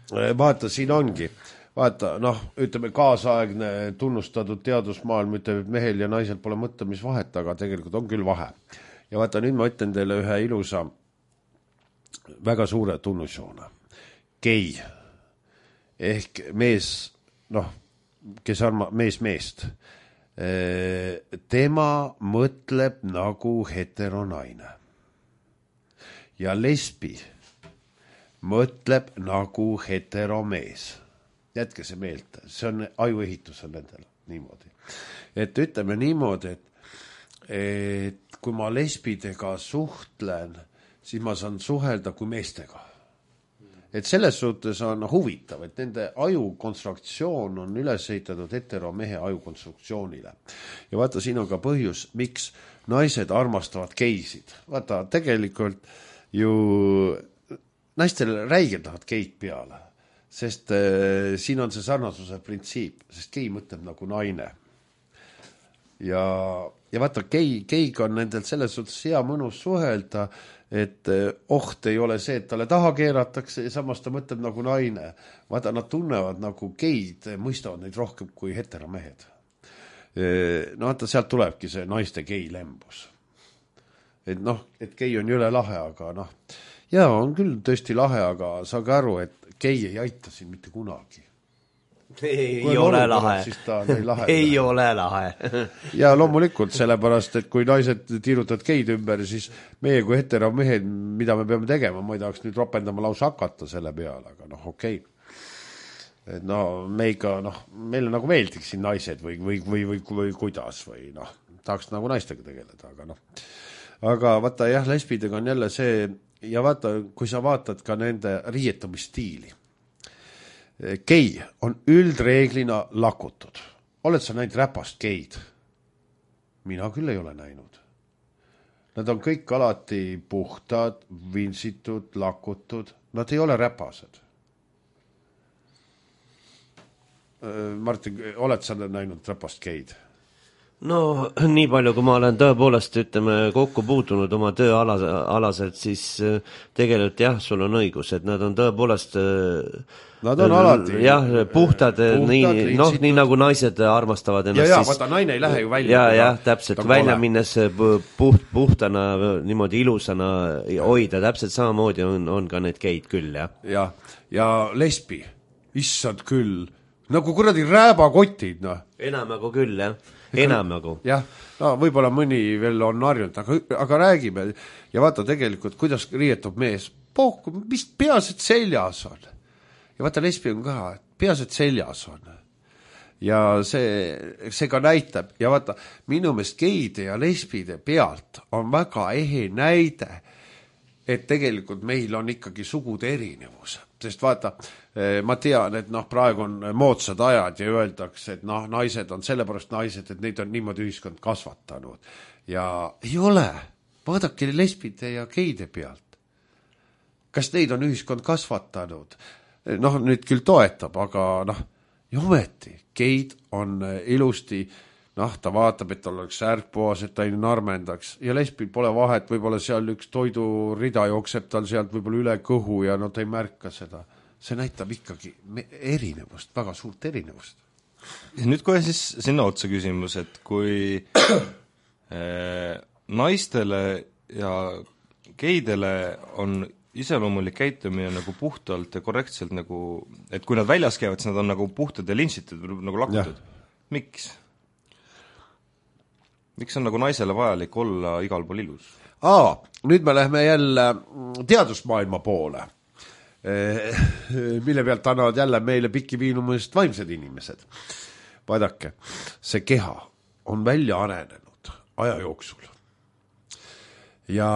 vaata, siin ongi, vaata, noh, ütleme kaasaegne tunnustatud teadusmaailm ütleb, et mehel ja naisel pole mõtlemisvahet, aga tegelikult on küll vahe. Ja vaata, nüüd ma ütlen teile ühe ilusa, väga suure tunnusjoona. Gei, ehk mees, noh, kes arma, mees meest, tema mõtleb nagu heteronaine. Ja lesbi mõtleb nagu heteromees. Jätke see meelt, see on ajuehitus on nendel niimoodi. Et ütleme niimoodi, et, et kui ma lesbidega suhtlen, siis ma saan suhelda kui meestega. Et selles suhtes on huvitav, et nende ajukonstruktsioon on üles ehitatud heteromehe ajukonstruktsioonile. Ja vaata, siin on ka põhjus, miks naised armastavad geisid. Vaata, tegelikult ju naistel räigelt tahavad geid peale, sest äh, siin on see sarnasuse printsiip, sest gei mõtleb nagu naine. Ja, ja vaata, gei, geiga on nendel selles suhtes hea mõnus suhelda, et äh, oht ei ole see, et talle taha keeratakse ja samas ta mõtleb nagu naine. Vaata, nad tunnevad nagu geid, mõistavad neid rohkem kui heteromehed. E, no vaata, sealt tulebki see naiste gei lembus. Et noh, et gei on jõle lahe, aga noh, jaa, on küll tõesti lahe, aga saage aru, et gei ei aita siin mitte kunagi. Ei kui ole lahe. Ei ole lahe. Ja loomulikult, sellepärast, et kui naised tiirutavad geid ümber, siis meie kui heteromehed, mida me peame tegema, ma ei tahaks nüüd ropendama lausa hakata selle peale, aga noh, okei. Et no meiga, noh, meile nagu meeldiks siin naised või, või, või, või, või kuidas või noh, tahaks nagu naistega tegeleda, aga noh. Aga vaata jah, lesbidega on jälle see, ja vaata, kui sa vaatad ka nende riietumisstiili. Gei on üldreeglina lakutud. Oled sa näinud räpast geid? Mina küll ei ole näinud. Nad on kõik alati puhtad, vintsitud, lakutud. Nad ei ole räpased. Martin, oled sa näinud räpast geid? No nii palju, kui ma olen tõepoolest, ütleme, kokku puutunud oma tööalaselt, siis tegelikult jah, sul on õigus, et nad on tõepoolest nad on alati jah, puhtad, puhtad nii, noh, nii nagu naised armastavad ennast. Ja, ja, vaata, naine ei lähe ju välja. Ja, ja, täpselt, välja ole. Minnes puht, puhtana, niimoodi ilusana hoida, täpselt samamoodi on, on ka need geid küll, jah. Ja, ja lesbi, issand küll, nagu kuradi rääbakotid, noh. Enamagu küll, jah. Enamagu. Jah, no võib-olla mõni veel on harjunud, aga, aga räägime. Ja vaata tegelikult, kuidas riietub mees. Pohku, mis peas, et seljas on. Ja vaata lesbi on ka, peas, et seljas on. ja see, see ka näitab ja vaata, minu meelest geide ja lesbide pealt on väga ehe näide, et tegelikult meil on ikkagi sugude erinevus, sest vaata, ma tean, et noh, praegu on moodsad ajad ja öeldakse, et noh, naised on sellepärast naised, et neid on niimoodi ühiskond kasvatanud ja ei ole, vaadake lesbide ja geide pealt. Kas neid on ühiskond kasvatanud? Noh, nüüd küll toetab, aga noh, ja ometi, geid on ilusti, noh, ta vaatab, et tal oleks ärgpoas, et ta ei narmendaks ja lesbil pole vahet, võib-olla seal üks toidurida jookseb tal sealt võib-olla üle kõhu ja no ta ei märka seda. See näitab ikkagi erinevust, väga suurt erinevust. Ja nüüd kohe siis sinna otsa küsimus, et kui äh, naistele ja geidele on iseloomulik käitumine nagu puhtalt ja korrektselt nagu, et kui nad väljas käivad, siis nad on nagu puhtad ja lintsitud, nagu lakutud. Miks? Miks on nagu naisele vajalik olla igal pool ilus? Aa, nüüd me lähme jälle teadusmaailma poole, mille pealt annavad jälle meile piki viinumusest vaimsed inimesed. Vaadake, see keha on välja arenenud aja jooksul. Ja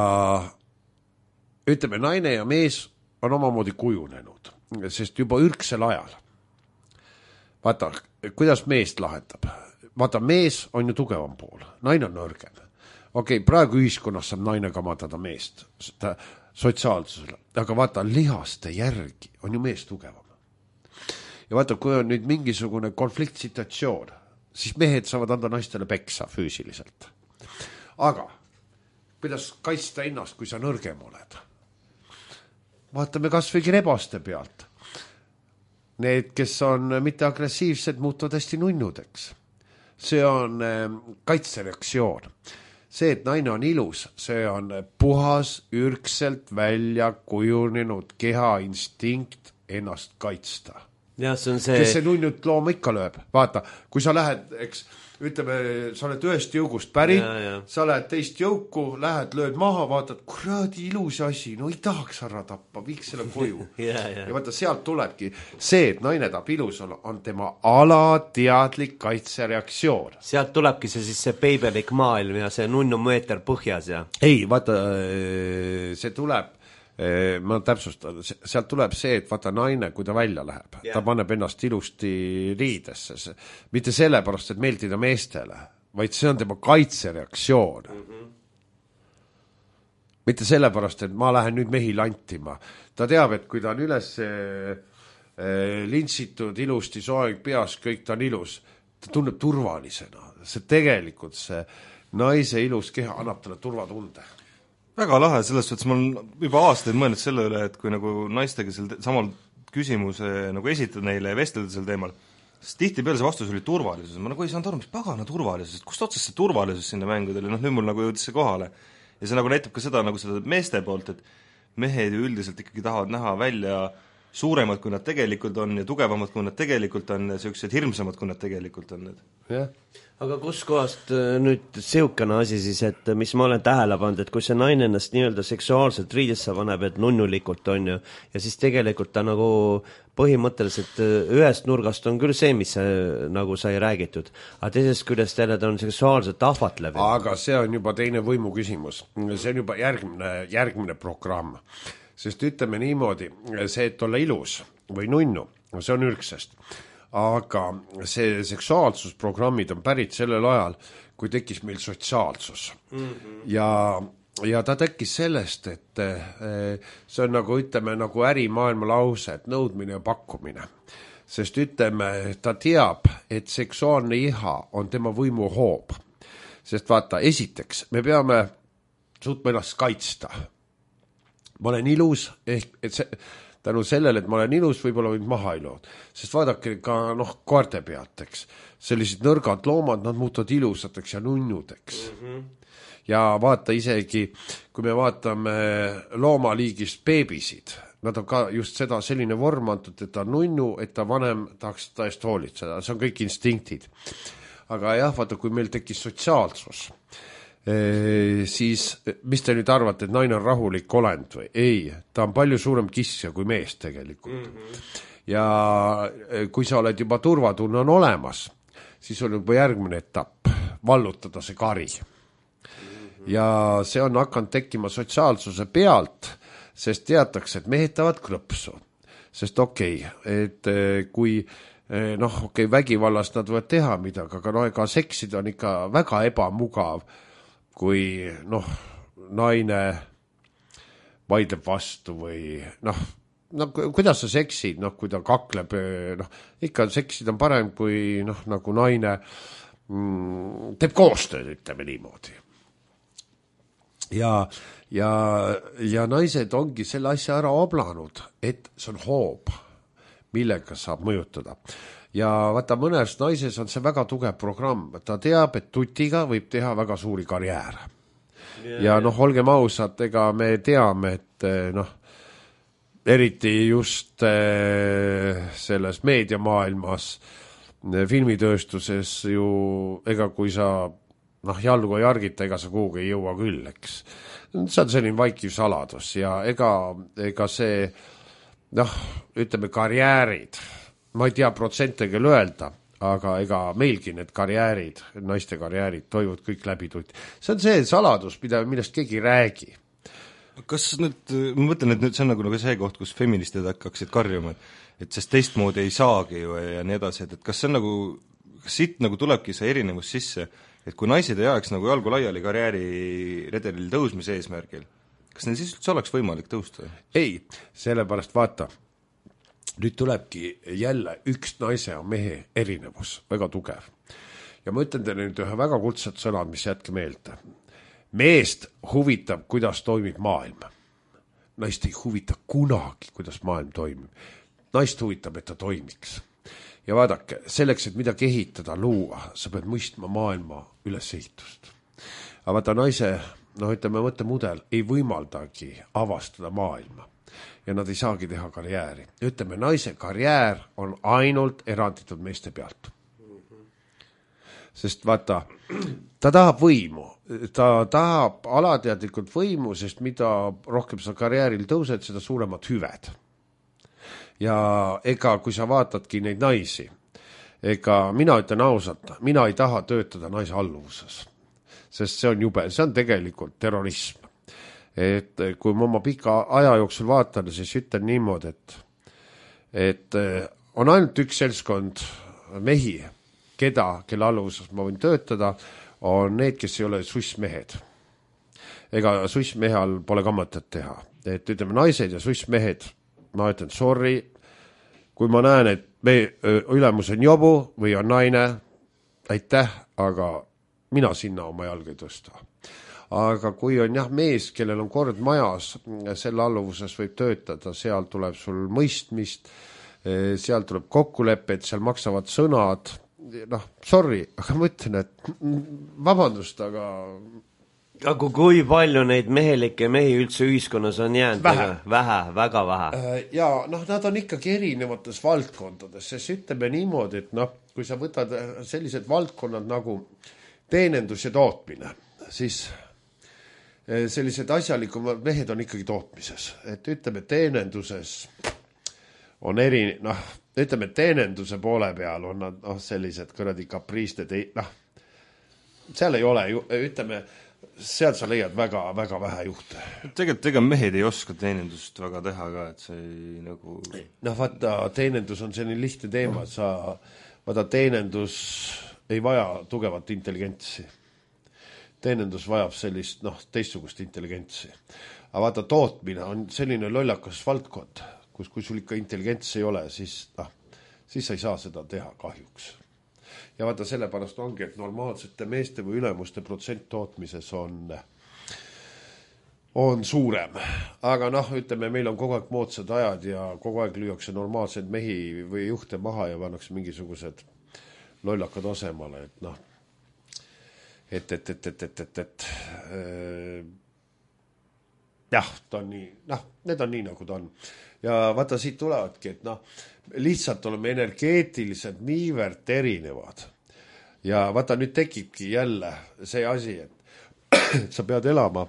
ütleme, naine ja mees on omamoodi kujunenud, sest juba ürgsel ajal. Vaata, kuidas meest lahendab? Vaata, mees on ju tugevam pool, naine on nõrgem. Okei, okay, praegu ühiskonnas saab naine kamatada meest sotsiaalsusele, aga vaata, lihaste järgi on ju mees tugevam. Ja vaata, kui on nüüd mingisugune konfliktsituatsioon, siis mehed saavad anda naistele peksa füüsiliselt. Aga kuidas kaitsta ennast, kui sa nõrgem oled? Vaatame kas või rebaste pealt. Need, kes on mitte agressiivsed, muutuvad hästi nunnudeks. See on kaitsereaktsioon. See, et naine on ilus, see on puhas, ürgselt välja kujunenud keha instinkt ennast kaitsta. Ja, see on see... Kes see nunnud looma ikka lööb? Vaata, kui sa lähed, eks, ütleme, sa oled ühest jõugust pärit, ja, ja. Sa lähed teist jõuku, lähed, lööd maha, vaatad, kuradi ilus asi, no ei tahaks ära tappa, viiks selle koju. ja, ja. ja vaata, sealt tulebki see, et naine tahab ilus olla, on tema alateadlik kaitsereaktsioon. Sealt tulebki see siis see peibelik maailm ja see nunnu meeter põhjas ja... Ei, vaata, see tuleb... ma täpsustan, sealt tuleb see, et vaata naine, kui ta välja läheb, yeah. Ta paneb ennast ilusti riidesse, mitte sellepärast, et meeldida meestele, vaid see on tema kaitsereaktsioon. Mm-hmm. Mitte sellepärast, et ma lähen nüüd mehi lantima. Ta teab, et kui ta on üles äh, lintsitud, ilusti soeng peas, kõik ta on ilus, ta tunneb turvalisena. See tegelikult see naise ilus keha annab talle turvatunde. Väga lahe, selles suhtes ma olen juba aastaid mõelnud selle üle, et kui nagu naistega sel samal küsimuse nagu esitada neile ja vestelda sel teemal, siis tihti peale see vastus oli turvalisus. Ma nagu ei saanud aru, mis pagana turvalisus, kust otsast see turvalisus sinna mängudele, noh nüüd mul nagu jõudis see kohale. Ja see nagu näitab ka seda nagu seda meeste poolt, et mehed ju üldiselt ikkagi tahavad näha välja suuremad, kui nad tegelikult on ja tugevamad, kui nad tegelikult on ja sellised hirmsamad, kui nad tegelikult on. Jah. Aga kus kohast nüüd seukana asi siis, et mis ma olen tähele pannud, et kui see naine ennast nii-öelda seksuaalselt riidesse paneb, et nunnulikult on ju, ja siis tegelikult ta nagu põhimõtteliselt ühest nurgast on küll see, mis see, nagu sai räägitud, aga teisest küljest jälle ta on seksuaalselt ahvatlev. Aga see on juba teine võimu küsimus, see on juba järgmine, järgmine programm, sest ütleme niimoodi, see, et olla ilus või nunnu, see on ürgsest. Aga see seksuaalsusprogrammid on pärit sellel ajal, kui tekkis meil sotsiaalsus. Mm-hmm. Ja, ja ta tekkis sellest, et see on nagu, ütleme, nagu ärimaailma lause, et nõudmine ja pakkumine. Sest ütleme, ta teab, et seksuaalne iha on tema võimu hoob. Sest vaata, esiteks, me peame suutma ennast kaitsta. Ma olen ilus, ehk et see... tänu sellele, et ma olen ilus, võib-olla võid maha ilood. Sest vaadake ka noh, koerte pealt, eks. Sellised nõrgad loomad, nad muutuvad ilusateks ja nunnudeks. Mm-hmm. Ja vaata isegi, kui me vaatame loomaliigist beebisid, nad on ka just seda selline vorm antud, et ta on nunnu, et ta vanem tahaks ta eest hoolitseda. See on kõik instinktid. Aga jah, vaata, kui meil tekkis sotsiaalsus, e, siis mis te nüüd arvate, et naine on rahulik olend või? Ei, ta on palju suurem kissja kui mees tegelikult. Mm-hmm. Ja kui sa oled juba turvatunne on olemas, siis on juba järgmine etapp, vallutada see kari. Mm-hmm. Ja see on hakanud tekkima sotsiaalsuse pealt, sest teatakse, et mehed tavad krõpsu. Sest okei, okay, et kui noh, okei okay,, vägivallast nad võivad teha midagi, aga no ega seksid on ikka väga ebamugav, kui noh, naine vaidleb vastu või noh, no kuidas sa seksid, noh, kui ta kakleb, noh, ikka seksid on parem, kui noh, nagu naine mm, teeb koostööd, ütleme niimoodi. Ja, ja, ja naised ongi selle asja ära oblanud, et see on hoob, millega saab mõjutada. Ja vaata, mõnes naises on see väga tugev programm. Ta teab, et tutiga võib teha väga suuri karjääre. Yeah, ja noh, olgem ausad, ega me teame, et noh, eriti just selles meediamaailmas, filmitööstuses ju, ega kui sa noh, jalgu ei argita, ega sa kuhugi ei jõua küll, eks. See on selline vaikiv saladus ja ega, ega see, noh, ütleme karjäärid, ma ei tea protsente küll öelda, aga ega meilgi need karjäärid, naiste karjäärid toivad kõik läbi tutti. See on see saladus, mida, millest keegi ei räägi. Kas nüüd, ma mõtlen, et nüüd see on nagu, nagu see koht, kus feministid hakkaksid karjuma, et sest teistmoodi ei saagi ju ja nii edasi, et, et kas see on nagu, kas siit nagu tulebki see erinevus sisse, et kui naised ei ajaks nagu jalgu laiali karjääri redelil tõusmise eesmärgil, kas neil siis üldse oleks võimalik tõusta? Ei, sellepärast vaata, nüüd tulebki jälle üks naise ja mehe erinevus, väga tugev. Ja ma ütlen teile nüüd ühe väga kuldset sõnad, mis jätke meelde. Meest huvitab, kuidas toimib maailm. Naist ei huvita kunagi, kuidas maailm toimib. Naist huvitab, et ta toimiks. Ja vaadake, selleks, et midagi ehitada, luua, sa pead mõistma maailma ülesehitust. Aga vaata, naise, noh, ütleme, mõttemudel ei võimaldagi avastada maailma. Ja nad ei saagi teha karjääri. Ütleme, naise karjäär on ainult eranditud meeste pealt. Sest vaata, ta tahab võimu. Ta tahab alateadlikult võimu, sest mida rohkem sa karjääril tõused, seda suuremad hüved. Ja ega kui sa vaatadki neid naisi, ega mina ütlen ausalt, mina ei taha töötada naise alluvuses, sest see on jube, see on tegelikult terrorism. Et kui ma oma pika aja jooksul vaatan, siis ütlen niimoodi, et, et on ainult üks seltskond mehi, keda, kelle alluvuses ma võin töötada, on need, kes ei ole sussmehed. Ega sussmehe all pole ka mõtet teha. Et ütleme, naised ja sussmehed, ma ütlen, sorry, kui ma näen, et me ülemus on jobu või on naine, aitäh, aga mina sinna oma jalga ei tõsta. Aga kui on jah mees, kellel on kord majas, selle alluvuses võib töötada, seal tuleb sul mõistmist, seal tuleb kokkulepped, seal maksavad sõnad, noh, sorry, aga ma ütlen, et vabandust, aga aga kui palju neid mehelikke mehi üldse ühiskonnas on jäänud? Vähe, vähe, väga vähe. Ja noh, nad on ikkagi erinevates valdkondades, sest ütleme niimoodi, et noh, kui sa võtad sellised valdkonnad nagu teenendus ja tootmine, siis sellised asjalikumad mehed on ikkagi tootmises. Et ütleme, teenenduses on eri, noh, ütleme, teenenduse poole peal on nad noh, sellised kõradi kapriisted, noh, seal ei ole, ütleme, sealt sa leiad väga, väga vähe juhte. Tegelikult ega mehed ei oska teenendust väga teha ka, et see ei nagu... Noh, vaata, teenendus on selline lihtne teema, sa, vaata, teenendus ei vaja tugevat intelligentsi. Teenendus vajab sellist, noh, teistsugust intelligentsi. Aga vaata, tootmine on selline lollakas valdkond, kus kui sul ikka intelligents ei ole, siis, noh, siis sa ei saa seda teha kahjuks. Ja vaata, sellepärast ongi, et normaalsete meeste või ülemuste protsent tootmises on, on suurem. Aga noh, ütleme, meil on kogu aeg moodsad ajad ja kogu aeg lüüakse normaalseid mehi või juhte maha ja pannakse mingisugused lollakad asemale, et noh, et, et, et, et, et, et, et äh, jah, ta on nii, noh, need on nii, nagu ta on. Ja vaata, siit tulevadki, et noh, lihtsalt oleme energeetiliselt niivõrd erinevad. Ja vaata, nüüd tekibki jälle see asi, et sa pead elama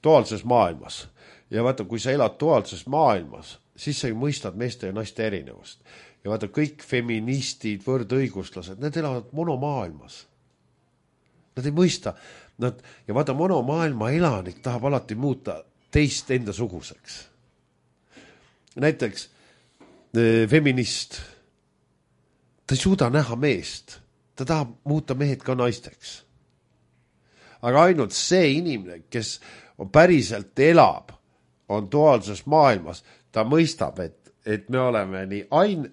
duaalses maailmas ja vaata, kui sa elad duaalses maailmas, siis sa ju mõistad meeste ja naiste erinevust. Ja vaata, kõik feministid, võrdõiguslased, need elavad monomaailmas. Nad ei mõista. Nad, ja vaata, monomaailma elanik tahab alati muuta teist enda suguseks. Näiteks feminist, ta ei suuda näha meest, ta tahab muuta mehed ka naisteks. Aga ainult see inimene, kes on päriselt elab, on duaalses maailmas, ta mõistab, et, et me oleme nii ain,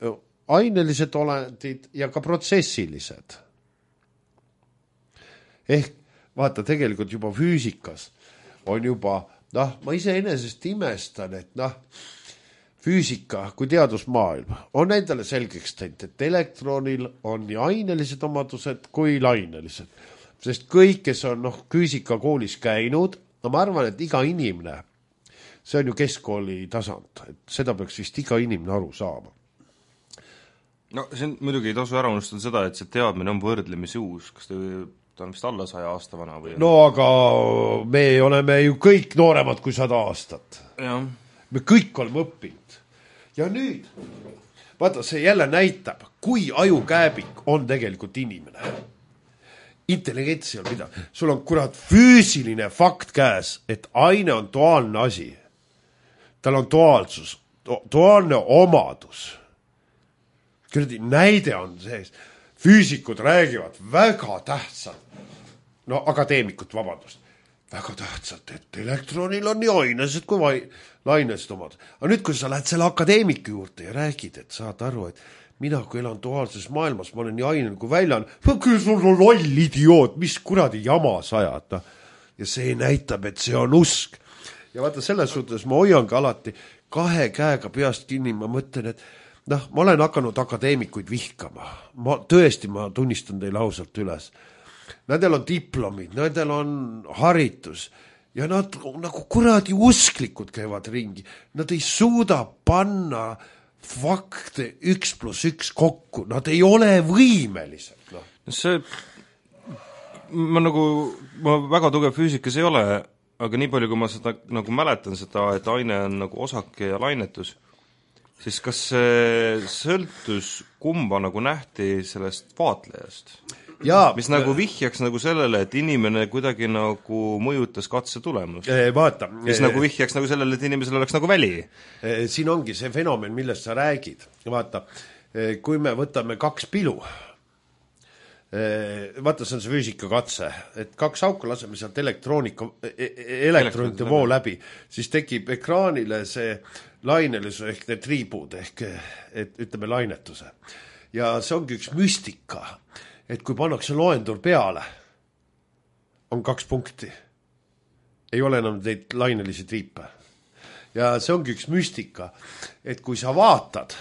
ainelised olendid ja ka protsessilised. Ehk vaata, tegelikult juba füüsikas on juba, noh, ma ise enesest imestan, et noh, füüsika kui teadusmaailm on endale selgeks teinud, et elektronil on nii ainelised omadused kui lainelised. Sest kõik, kes on noh, füüsikakoolis käinud, no ma arvan, et iga inimene, see on ju keskkooli tasand, et seda peaks vist iga inimene aru saama. No see on, muidugi ei tasu ära unustada seda, et see teadmine on võrdlemisi uus, kas te, ta on vist alla saja aasta vana või? No aga me oleme ju kõik nooremad kui sada aastat. Ja. Me kõik oleme õppinud. Ja nüüd, vaata, see jälle näitab, kui ajukääbik on tegelikult inimene. Intelligentsi on mida. Sul on kurat füüsiline fakt käes, et aine on duaalne asi. Tal on duaalsus, duaalne omadus. Kuradi näide on sees. Füüsikud räägivad väga tähtsalt, no akadeemikud, vabandust, väga tähtsalt, et elektronil on nii ainesed kui vai, lainesed omad. Aga nüüd, kui sa lähed selle akadeemiku juurde ja räägid, et saad aru, et mina, kui elan duaalses maailmas, ma olen nii ainen kui väljan, küll sul on loll idioot, mis kuradi jama sajad. Ja see näitab, et see on usk. Ja vaata, selles suhtes ma hoian ka alati kahe käega peast kinni, ma mõtlen, et noh, ma olen hakanud akadeemikuid vihkama. Ma, tõesti, ma tunnistan teile ausalt üles. Nendel on diplomid, nendel on haritus ja nad nagu kuradi usklikud käivad ringi. Nad ei suuda panna fakte üks pluss üks kokku, nad ei ole võimelised. No. See, ma nagu, ma väga tugev füüsikas ei ole, aga nii palju, kui ma seda nagu mäletan seda, et aine on nagu osake ja lainetus, siis kas see sõltus kumba nagu nähti sellest vaatlejast? Ja, mis nagu vihjaks nagu sellele, et inimene kuidagi nagu mõjutas katse tulemust. Vaata. Mis nagu vihjaks nagu sellele, et inimesel oleks nagu väli. Siin ongi see fenomen, millest sa räägid. Vaata, kui me võtame kaks pilu, vaata, see on see füüsika katse, et kaks auku laseme sealt elektroonika, elektronite voo läbi, siis tekib ekraanile see lainelisu ehk need triibud ehk et ütleme lainetuse. Ja see ongi üks müstika, et kui pannakse loendur peale, on kaks punkti. Ei ole enam neid lainelisi triipe. Ja see ongi üks müstika, et kui sa vaatad,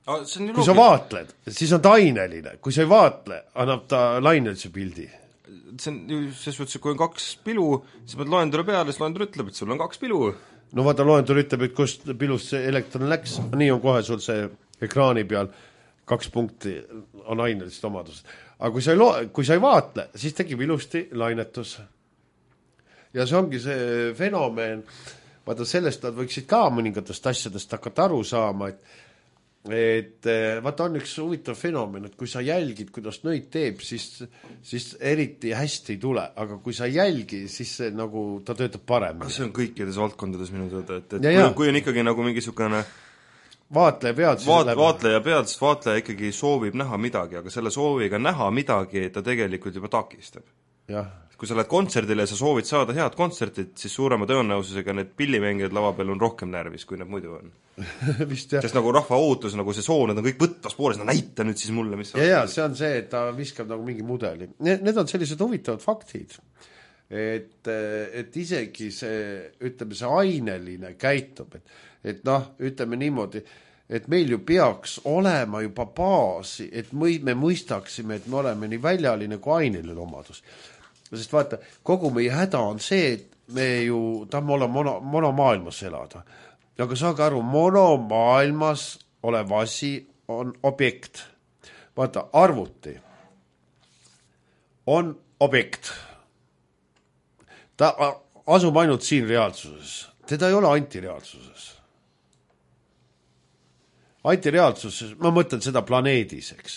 ah, see on kui sa vaatled, siis on ta aineline. Kui sa ei vaatle, annab ta lainelise pildi. See on ju, ses võttes, kui on kaks pilu, siis pead loendure peale, siis loendur ütleb, et sul on kaks pilu. No vaata, loendur ütleb, et kust pilust see elektron läks, nii on kohe sul see ekraani peal kaks punkti on ainelised omadused. Aga kui sa, ei lo- kui sa ei vaatle, siis tekib ilusti lainetus. Ja see ongi see fenomen, vaata sellest nad võiksid ka mõningatest asjadest hakata aru saama, et, et vaata on üks huvitav fenomen, et kui sa jälgid, kuidas nõid teeb, siis, siis eriti hästi ei tule, aga kui sa jälgi, siis see, nagu, ta töötab parem. See on kõikides valdkondades minu tõde, et, et ja, kui, kui on ikkagi nagu mingisugune vaatleja pead, Vaat, vaatleja pead, sest vaatleja ikkagi soovib näha midagi, aga selle sooviga näha midagi ta tegelikult juba takistab. Jah. Kui sa lähed kontserdile ja sa soovid saada head kontsertit, siis suurema tõenäosusega need pillimängijad lava peal on rohkem närvis, kui need muidu on. Vist jah. Sest nagu rahva ootus, nagu see soov, need on kõik võtvas pooles, no näita nüüd siis mulle, mis ja, ja, see on see, et ta viskab nagu mingi mudeli. Need, need on sellised huvitavad faktid. Et, et isegi see, ütleme, see aineline käitub, et et noh, ütleme niimoodi, et meil ju peaks olema juba baasi, et me mõistaksime, et me oleme nii väljaline kui aineline omadus. Sest vaata, kogu meie häda on see, et me ju tahame olla mono, monomaailmas elada. Aga saage aru, monomaailmas olev asi on objekt. Vaata, arvuti on objekt. ta asub ainult siin reaalsuses, teda ei ole antireaalsuses. Antireaalsuses, ma mõtlen seda planeedis, eks,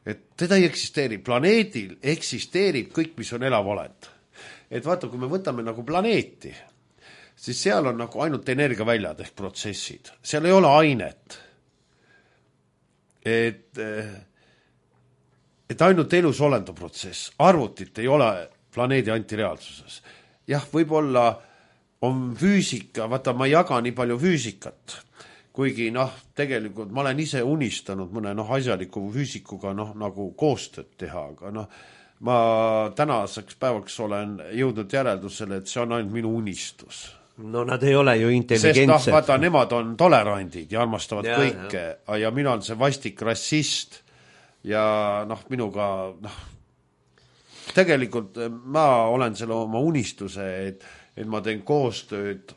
et teda ei eksisteeri, planeedil eksisteerib kõik, mis on elav olend. Et vaata, kui me võtame nagu planeeti, siis seal on nagu ainult energiaväljad ehk protsessid, seal ei ole ainet. Et, et ainult elus olenda protsess, arvutit ei ole planeedi antireaalsuses. Jah, võib-olla on füüsika, vaata, ma ei jaga nii palju füüsikat, kuigi noh, tegelikult ma olen ise unistanud mõne noh, asjaliku füüsikuga noh, nagu koostööd teha, aga noh, ma tänaseks päevaks olen jõudnud järeldusele, et see on ainult minu unistus. No nad ei ole ju intelligentsed. Sest noh, vaata, nemad on tolerandid ja armastavad ja, kõike ja. ja mina olen see vastik rassist ja noh, minuga noh, tegelikult ma olen selle oma unistuse, et, et ma teen koostööd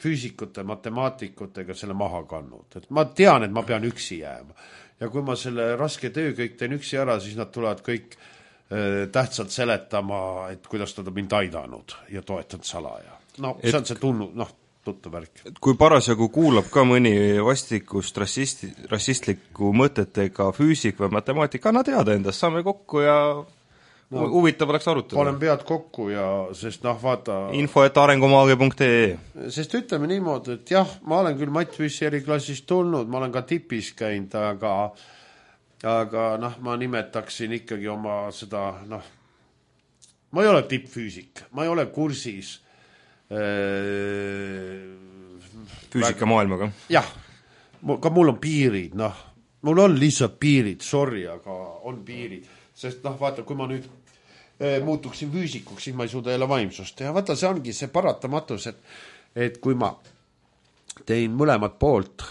füüsikute, matemaatikutega selle maha kannud. Et ma tean, et ma pean üksi jääma. Ja kui ma selle raske töö kõik teen üksi ära, siis nad tulevad kõik äh, tähtsalt seletama, et kuidas nad on mind aidanud ja toetanud salaja. No et, see on see tunnu, noh, tuttu värk. Kui parasjagu kuulab ka mõni vastikust rassisti, rassistliku mõtetega füüsik või matemaatika, anna teada endast, saame kokku ja no, huvitav oleks arutada. Olen pead kokku ja, sest noh, vaata info et arengumaagi punkt ee. Sest ütleme niimoodi, et jah, ma olen küll Matt Püssi eriklassist tulnud, ma olen ka tipis käinud, aga aga noh, ma nimetaksin ikkagi oma seda, noh, ma ei ole tippfüüsik, ma ei ole kursis füüsika maailmaga. Jah, ka mul on piirid, noh, mul on lihtsalt piirid, sorry, aga on piirid, sest noh, vaata, kui ma nüüd e, muutuksin füüsikuks, siis ma ei suuda jälle vaimsust teha, vaata, see ongi see paratamatus, et, et kui ma tein mõlemad poolt,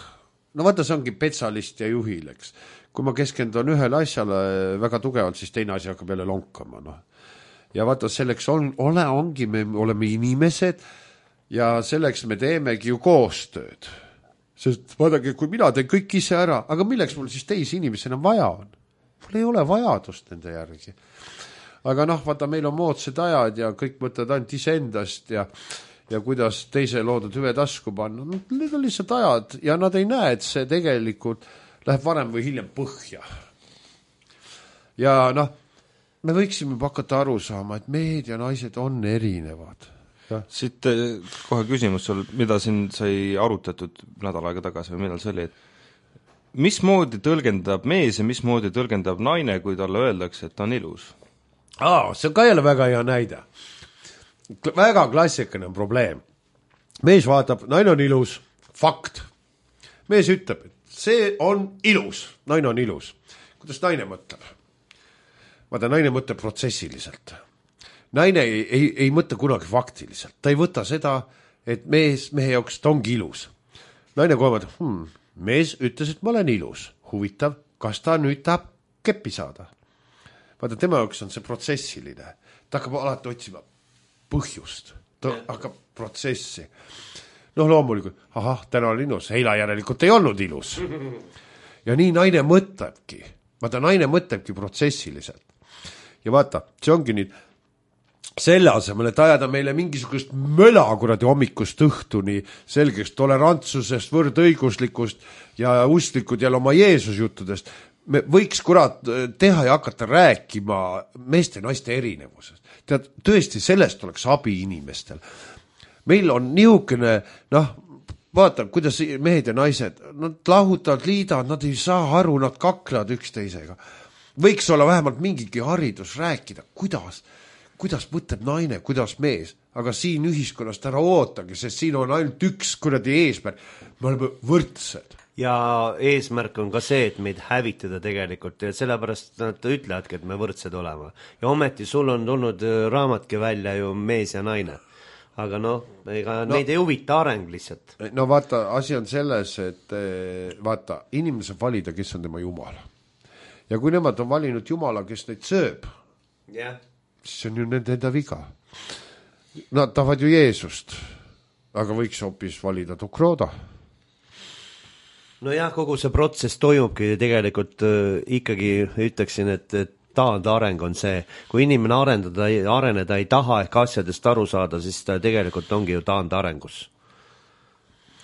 no vaata, see ongi petsalist ja juhil, eks, kui ma keskendun ühele asjale väga tugevalt, siis teine asi hakkab jälle lonkama, noh. Ja vaata, selleks on, ole, ongi, me oleme inimesed ja selleks me teemegi ju koostööd. Sest vaadake, kui mina teen kõik ise ära, aga milleks mul siis teisi inimesena vaja on? Mul ei ole vajadust nende järgi. Aga noh, vaata, meil on moodsad ajad ja kõik mõtled ainult iseendast ja, ja kuidas teise loodud hüve tasku panna. Need on lihtsalt ajad ja nad ei näe, et see tegelikult läheb varem või hiljem põhja. Ja noh, me võiksime hakata aru saama, et mehed ja naised on erinevad. Ja. Siit kohe küsimus sul, mida siin sai arutatud nädal aega tagasi või millal see oli, et mismoodi tõlgendab mees ja mismoodi tõlgendab naine, kui talle öeldakse, et ta on ilus? Aa, see on ka jälle väga hea näide. Väga klassikaline probleem. Mees vaatab, naine on ilus, fakt. Mees ütleb, et see on ilus, naine on ilus. Kuidas naine mõtleb? Vaata, naine mõtleb protsessiliselt. Naine ei, ei, ei mõtle kunagi faktiliselt. Ta ei võta seda, et mees, mehe jaoks ta ongi ilus. Naine kohe mõtleb, hmm, mees ütles, et ma olen ilus. Huvitav, kas ta nüüd tahab keppi saada? Vaata, tema jaoks on see protsessiline. Ta hakkab alati otsima põhjust. Ta hakkab protsessi. Noh, loomulikult, ahah, täna on ilus. Eila järelikult ei olnud ilus. Ja nii naine mõtlebki. Vaata, naine mõtlebki protsessiliselt. Ja vaata, see ongi nüüd selle asemel, et ajada meile mingisugust möla kuradi hommikust õhtuni selgeks tolerantsusest, võrdõiguslikust ja usklikud jälle oma Jeesus juttudest. Me võiks kurat teha ja hakata rääkima meeste ja naiste erinevusest. Tead, tõesti, sellest oleks abi inimestel. Meil on niisugune, noh, vaata, kuidas mehed ja naised, nad lahutavad, liidavad, nad ei saa aru, nad kaklevad üksteisega. Võiks olla vähemalt mingigi haridus rääkida, kuidas, kuidas mõtleb naine, kuidas mees, aga siin ühiskonnast ära ootagi, sest siin on ainult üks kuradi eesmärk, me oleme võrdsed. Ja eesmärk on ka see, et meid hävitada tegelikult ja sellepärast nad ütlevadki, et me võrdsed olema. Ja ometi sul on tulnud raamatki välja ju mees ja naine. Aga noh, ega no, neid ei huvita areng lihtsalt. No vaata, asi on selles, et vaata, inimene saab valida, kes on tema jumal. Ja kui nemad on valinud jumala, kes neid sööb, yeah. siis on ju nende enda viga. Nad tahavad ju Jeesust, aga võiks hoopis valida Tukroda. No jah, kogu see protsess toimubki tegelikult äh, ikkagi ütleksin, et, et taandareng on see, kui inimene arendada, areneda ei taha ehk asjadest aru saada, siis ta tegelikult ongi ju taandarengus.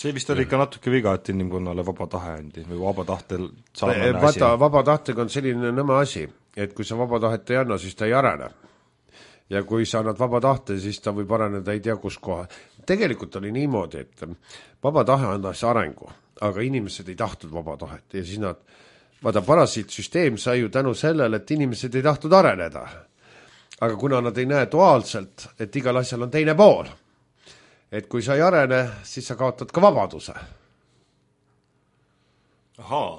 See vist oli ikka natuke viga, et inimkonnale vaba tahe andi või vaba tahtel saamane asi. Vaata, vaba tahtega on selline nõme asi, et kui sa vaba tahet ei anna, siis ta ei arene. Ja kui sa annad vaba tahte, siis ta võib areneda ei tea kus koha. Tegelikult oli niimoodi, et vaba tahe andas arengu, aga inimesed ei tahtnud vaba tahet ja siis nad, vaata, parasiitsüsteem sai ju tänu sellele, et inimesed ei tahtnud areneda. Aga kuna nad ei näe duaalselt, et igal asjal on teine pool, et kui sa ei arene, siis sa kaotad ka vabaduse. Ahaa.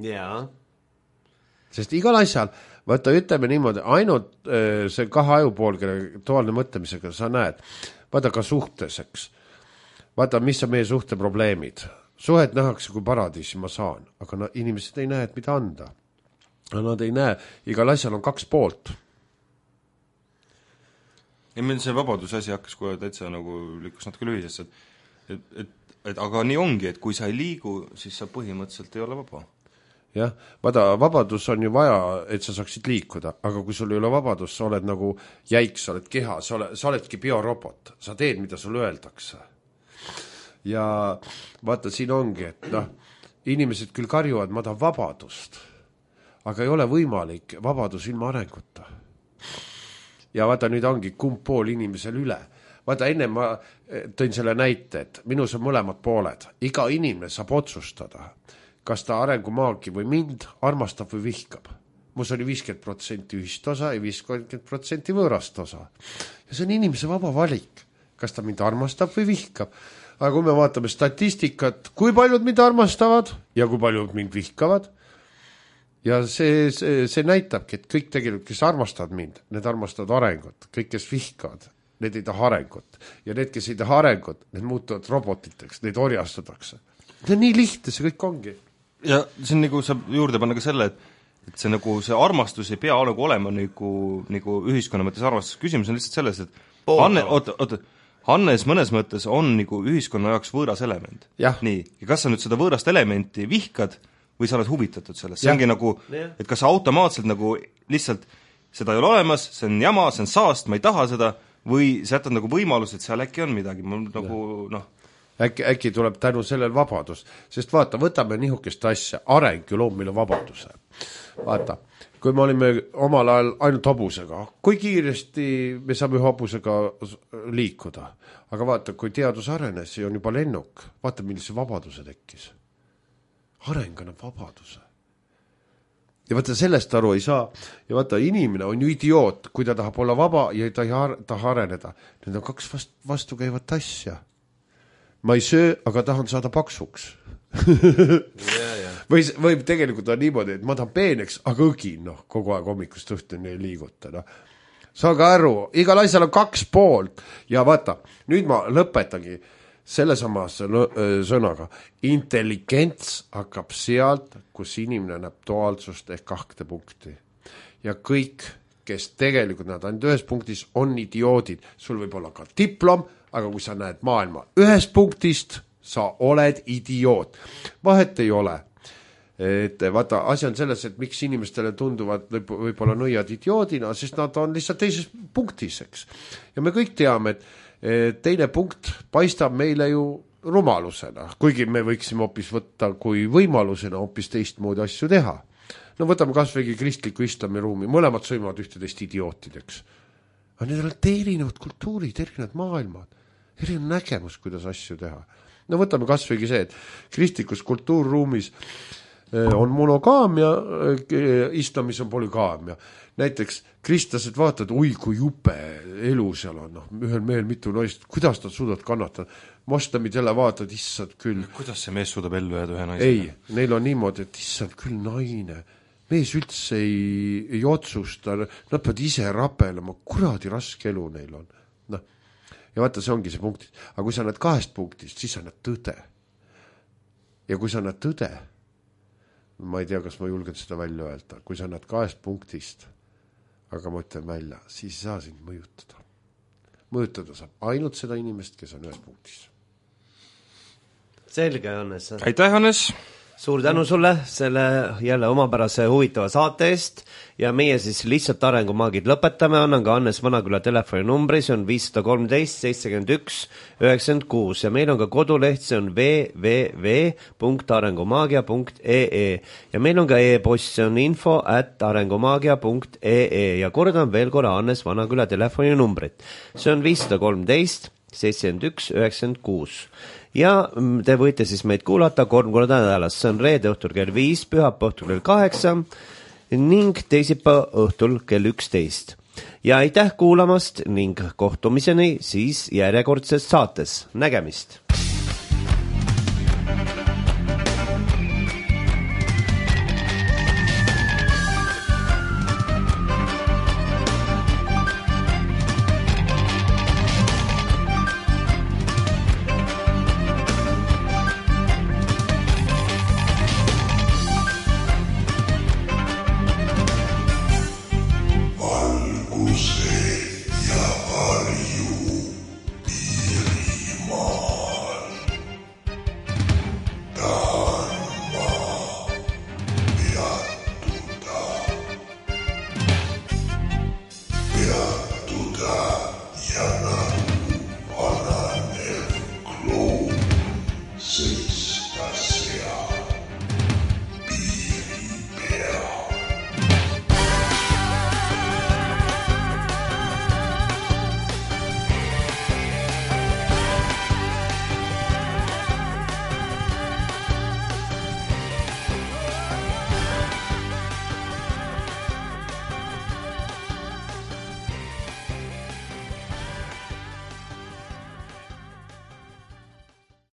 Jaa. Sest igal asjal, vaata, ütleme niimoodi, ainult see kahe ajupool, kelle duaalne mõtlemisega sa näed, vaata ka suhteseks. Vaata, mis on meie suhte probleemid. Suhet nähakse kui paradiisi ma saan, aga no, inimesed ei näe, et mida anda. Nad ei näe, igal asjal on kaks poolt. Ja meil see vabaduse asi hakkas kohe täitsa nagu liikus natuke lühisesse, et, et, et, et aga nii ongi, et kui sa ei liigu, siis sa põhimõtteliselt ei ole vaba. Jah, vaata, vabadus on ju vaja, et sa saaksid liikuda, aga kui sul ei ole vabadus, sa oled nagu jäik, sa oled keha, sa, oled, sa oledki biorobot, sa teed, mida sul öeldakse. Ja vaata, siin ongi, et noh, inimesed küll karjuvad, ma tahan vabadust, aga ei ole võimalik vabadus ilma arenguta. Ja vaata, nüüd ongi kumb pool inimesel üle. Vaata, enne ma tõin selle näite, et minus on mõlemad pooled. Iga inimene saab otsustada, kas ta arengumaagi või mind armastab või vihkab. Mus oli viiskümmend protsenti ühist osa ja viiskümmend protsenti võõrast osa. Ja see on inimese vaba valik, kas ta mind armastab või vihkab. Aga kui me vaatame statistikat, kui paljud mind armastavad ja kui paljud mind vihkavad, ja see, see, see näitabki, et kõik tegelikult, kes armastavad mind, need armastavad arengut. Kõik, kes vihkavad, need ei taha arengut. Ja need, kes ei taha arengut, need muutuvad robotiteks, neid orjastatakse. See on nii lihtne, see kõik ongi. Ja see on nagu, saab juurde panna ka selle, et, et see, nagu, see armastus ei pea nagu olema nagu, nagu ühiskonna mõttes armastus. Küsimus on lihtsalt selles, et Hanne, oota, oota, Hannes mõnes mõttes on nagu ühiskonna jaoks võõras element. Nii, ja kas sa nüüd seda võõrast elementi vihkad või sa oled huvitatud sellest, see ongi nagu, et kas sa automaatselt nagu lihtsalt seda ei ole olemas, see on jama, see on saast, ma ei taha seda, või sa jätad nagu võimalus, et seal äkki on midagi, mul nagu noh äkki, äkki tuleb tänu sellel vabadus, sest vaata, võtame nihukest asja, areng ju loob meile vabaduse. Vaata, kui me olime omal ajal ainult hobusega, kui kiiresti me saame hobusega liikuda, aga vaata, kui teadus arenes ja on juba lennuk, vaata, millise vabaduse tekkis. Areng annab vabaduse. Ja vaata, sellest aru ei saa. Ja vaata, inimene on ju idioot, kui ta tahab olla vaba ja ta ei taha areneda. Need on kaks vast, vastu käivat asja. Ma ei söö, aga tahan saada paksuks. yeah, yeah. Või, või tegelikult on niimoodi, et ma tahan peeneks, aga õgin, noh, kogu aeg hommikust õhtuni ei liiguta. No. Saage aru, igal asjal on kaks poolt. Ja vaata, nüüd ma lõpetangi selle sama sõnaga. Intelligents hakkab sealt, kus inimene näeb duaalsust ehk kahte punkti. Ja kõik, kes tegelikult näed ainult ühes punktis, on idioodid. Sul võib olla ka diplom, aga kui sa näed maailma ühes punktist, sa oled idioot. Vahet ei ole. Et vaata, asi on selles, et miks inimestele tunduvad võib-olla nõiad idioodina, sest nad on lihtsalt teises punktis, eks. Ja me kõik teame, et teine punkt paistab meile ju rumalusena, kuigi me võiksime hoopis võtta kui võimalusena hoopis teistmoodi asju teha. No võtame kasvõigi kristliku islami ruumi, mõlemad sõimavad ühteteist idiootideks. Aga need on erinevad kultuurid, erinevad maailmad, erinev nägemus, kuidas asju teha. No võtame kasvõigi see, et kristlikus kultuurruumis on monogaamia, islamis on polügaamia. Näiteks kristlased vaatavad, oi kui jupe elu seal on, noh, ühel mehel mitu naist, kuidas nad suudavad kannatada. Moslemid jälle vaatavad, issand küll. Kuidas see mees suudab ellu jääda ühe naise? Ei, neil on niimoodi, et issand küll naine. Mees üldse ei, ei otsusta, nad peavad ise rapelema, kuradi raske elu neil on. No. Ja vaata, see ongi see punkt. Aga kui sa näed kahest punktist, siis sa näed tõde. Ja kui sa näed tõde, ma ei tea, kas ma julgen seda välja öelda, kui sa näed kahest punktist, aga ma ütlen välja, siis ei saa sind mõjutada. Mõjutada saab ainult seda inimest, kes on ühes punktis. Selge, Hannes. Aitäh, Hannes! suur tänu sulle selle jälle omapärase huvitava saate eest ja meie siis lihtsalt arengumaagid lõpetame, annan ka Hannes Vanaküla telefoninumbri, see on viis kolm kolm seitsekümmend üks üheksakümmend kuus ja meil on ka koduleht, see on w w w punkt arengumaagia punkt e e ja meil on ka e-post, see on info at arengumaagia punkt e e ja kordan veel korra Hannes Vanaküla telefoninumbrit, see on viis kolm kolm seitsekümmend üks üheksakümmend kuus ja te võite siis meid kuulata kolm korda nädalas, see on reede õhtul kell viis, pühapäeva õhtul kell kaheksa ning teisipäeva õhtul kell üksteist. Ja aitäh kuulamast ning kohtumiseni siis järjekordses saates. Nägemist!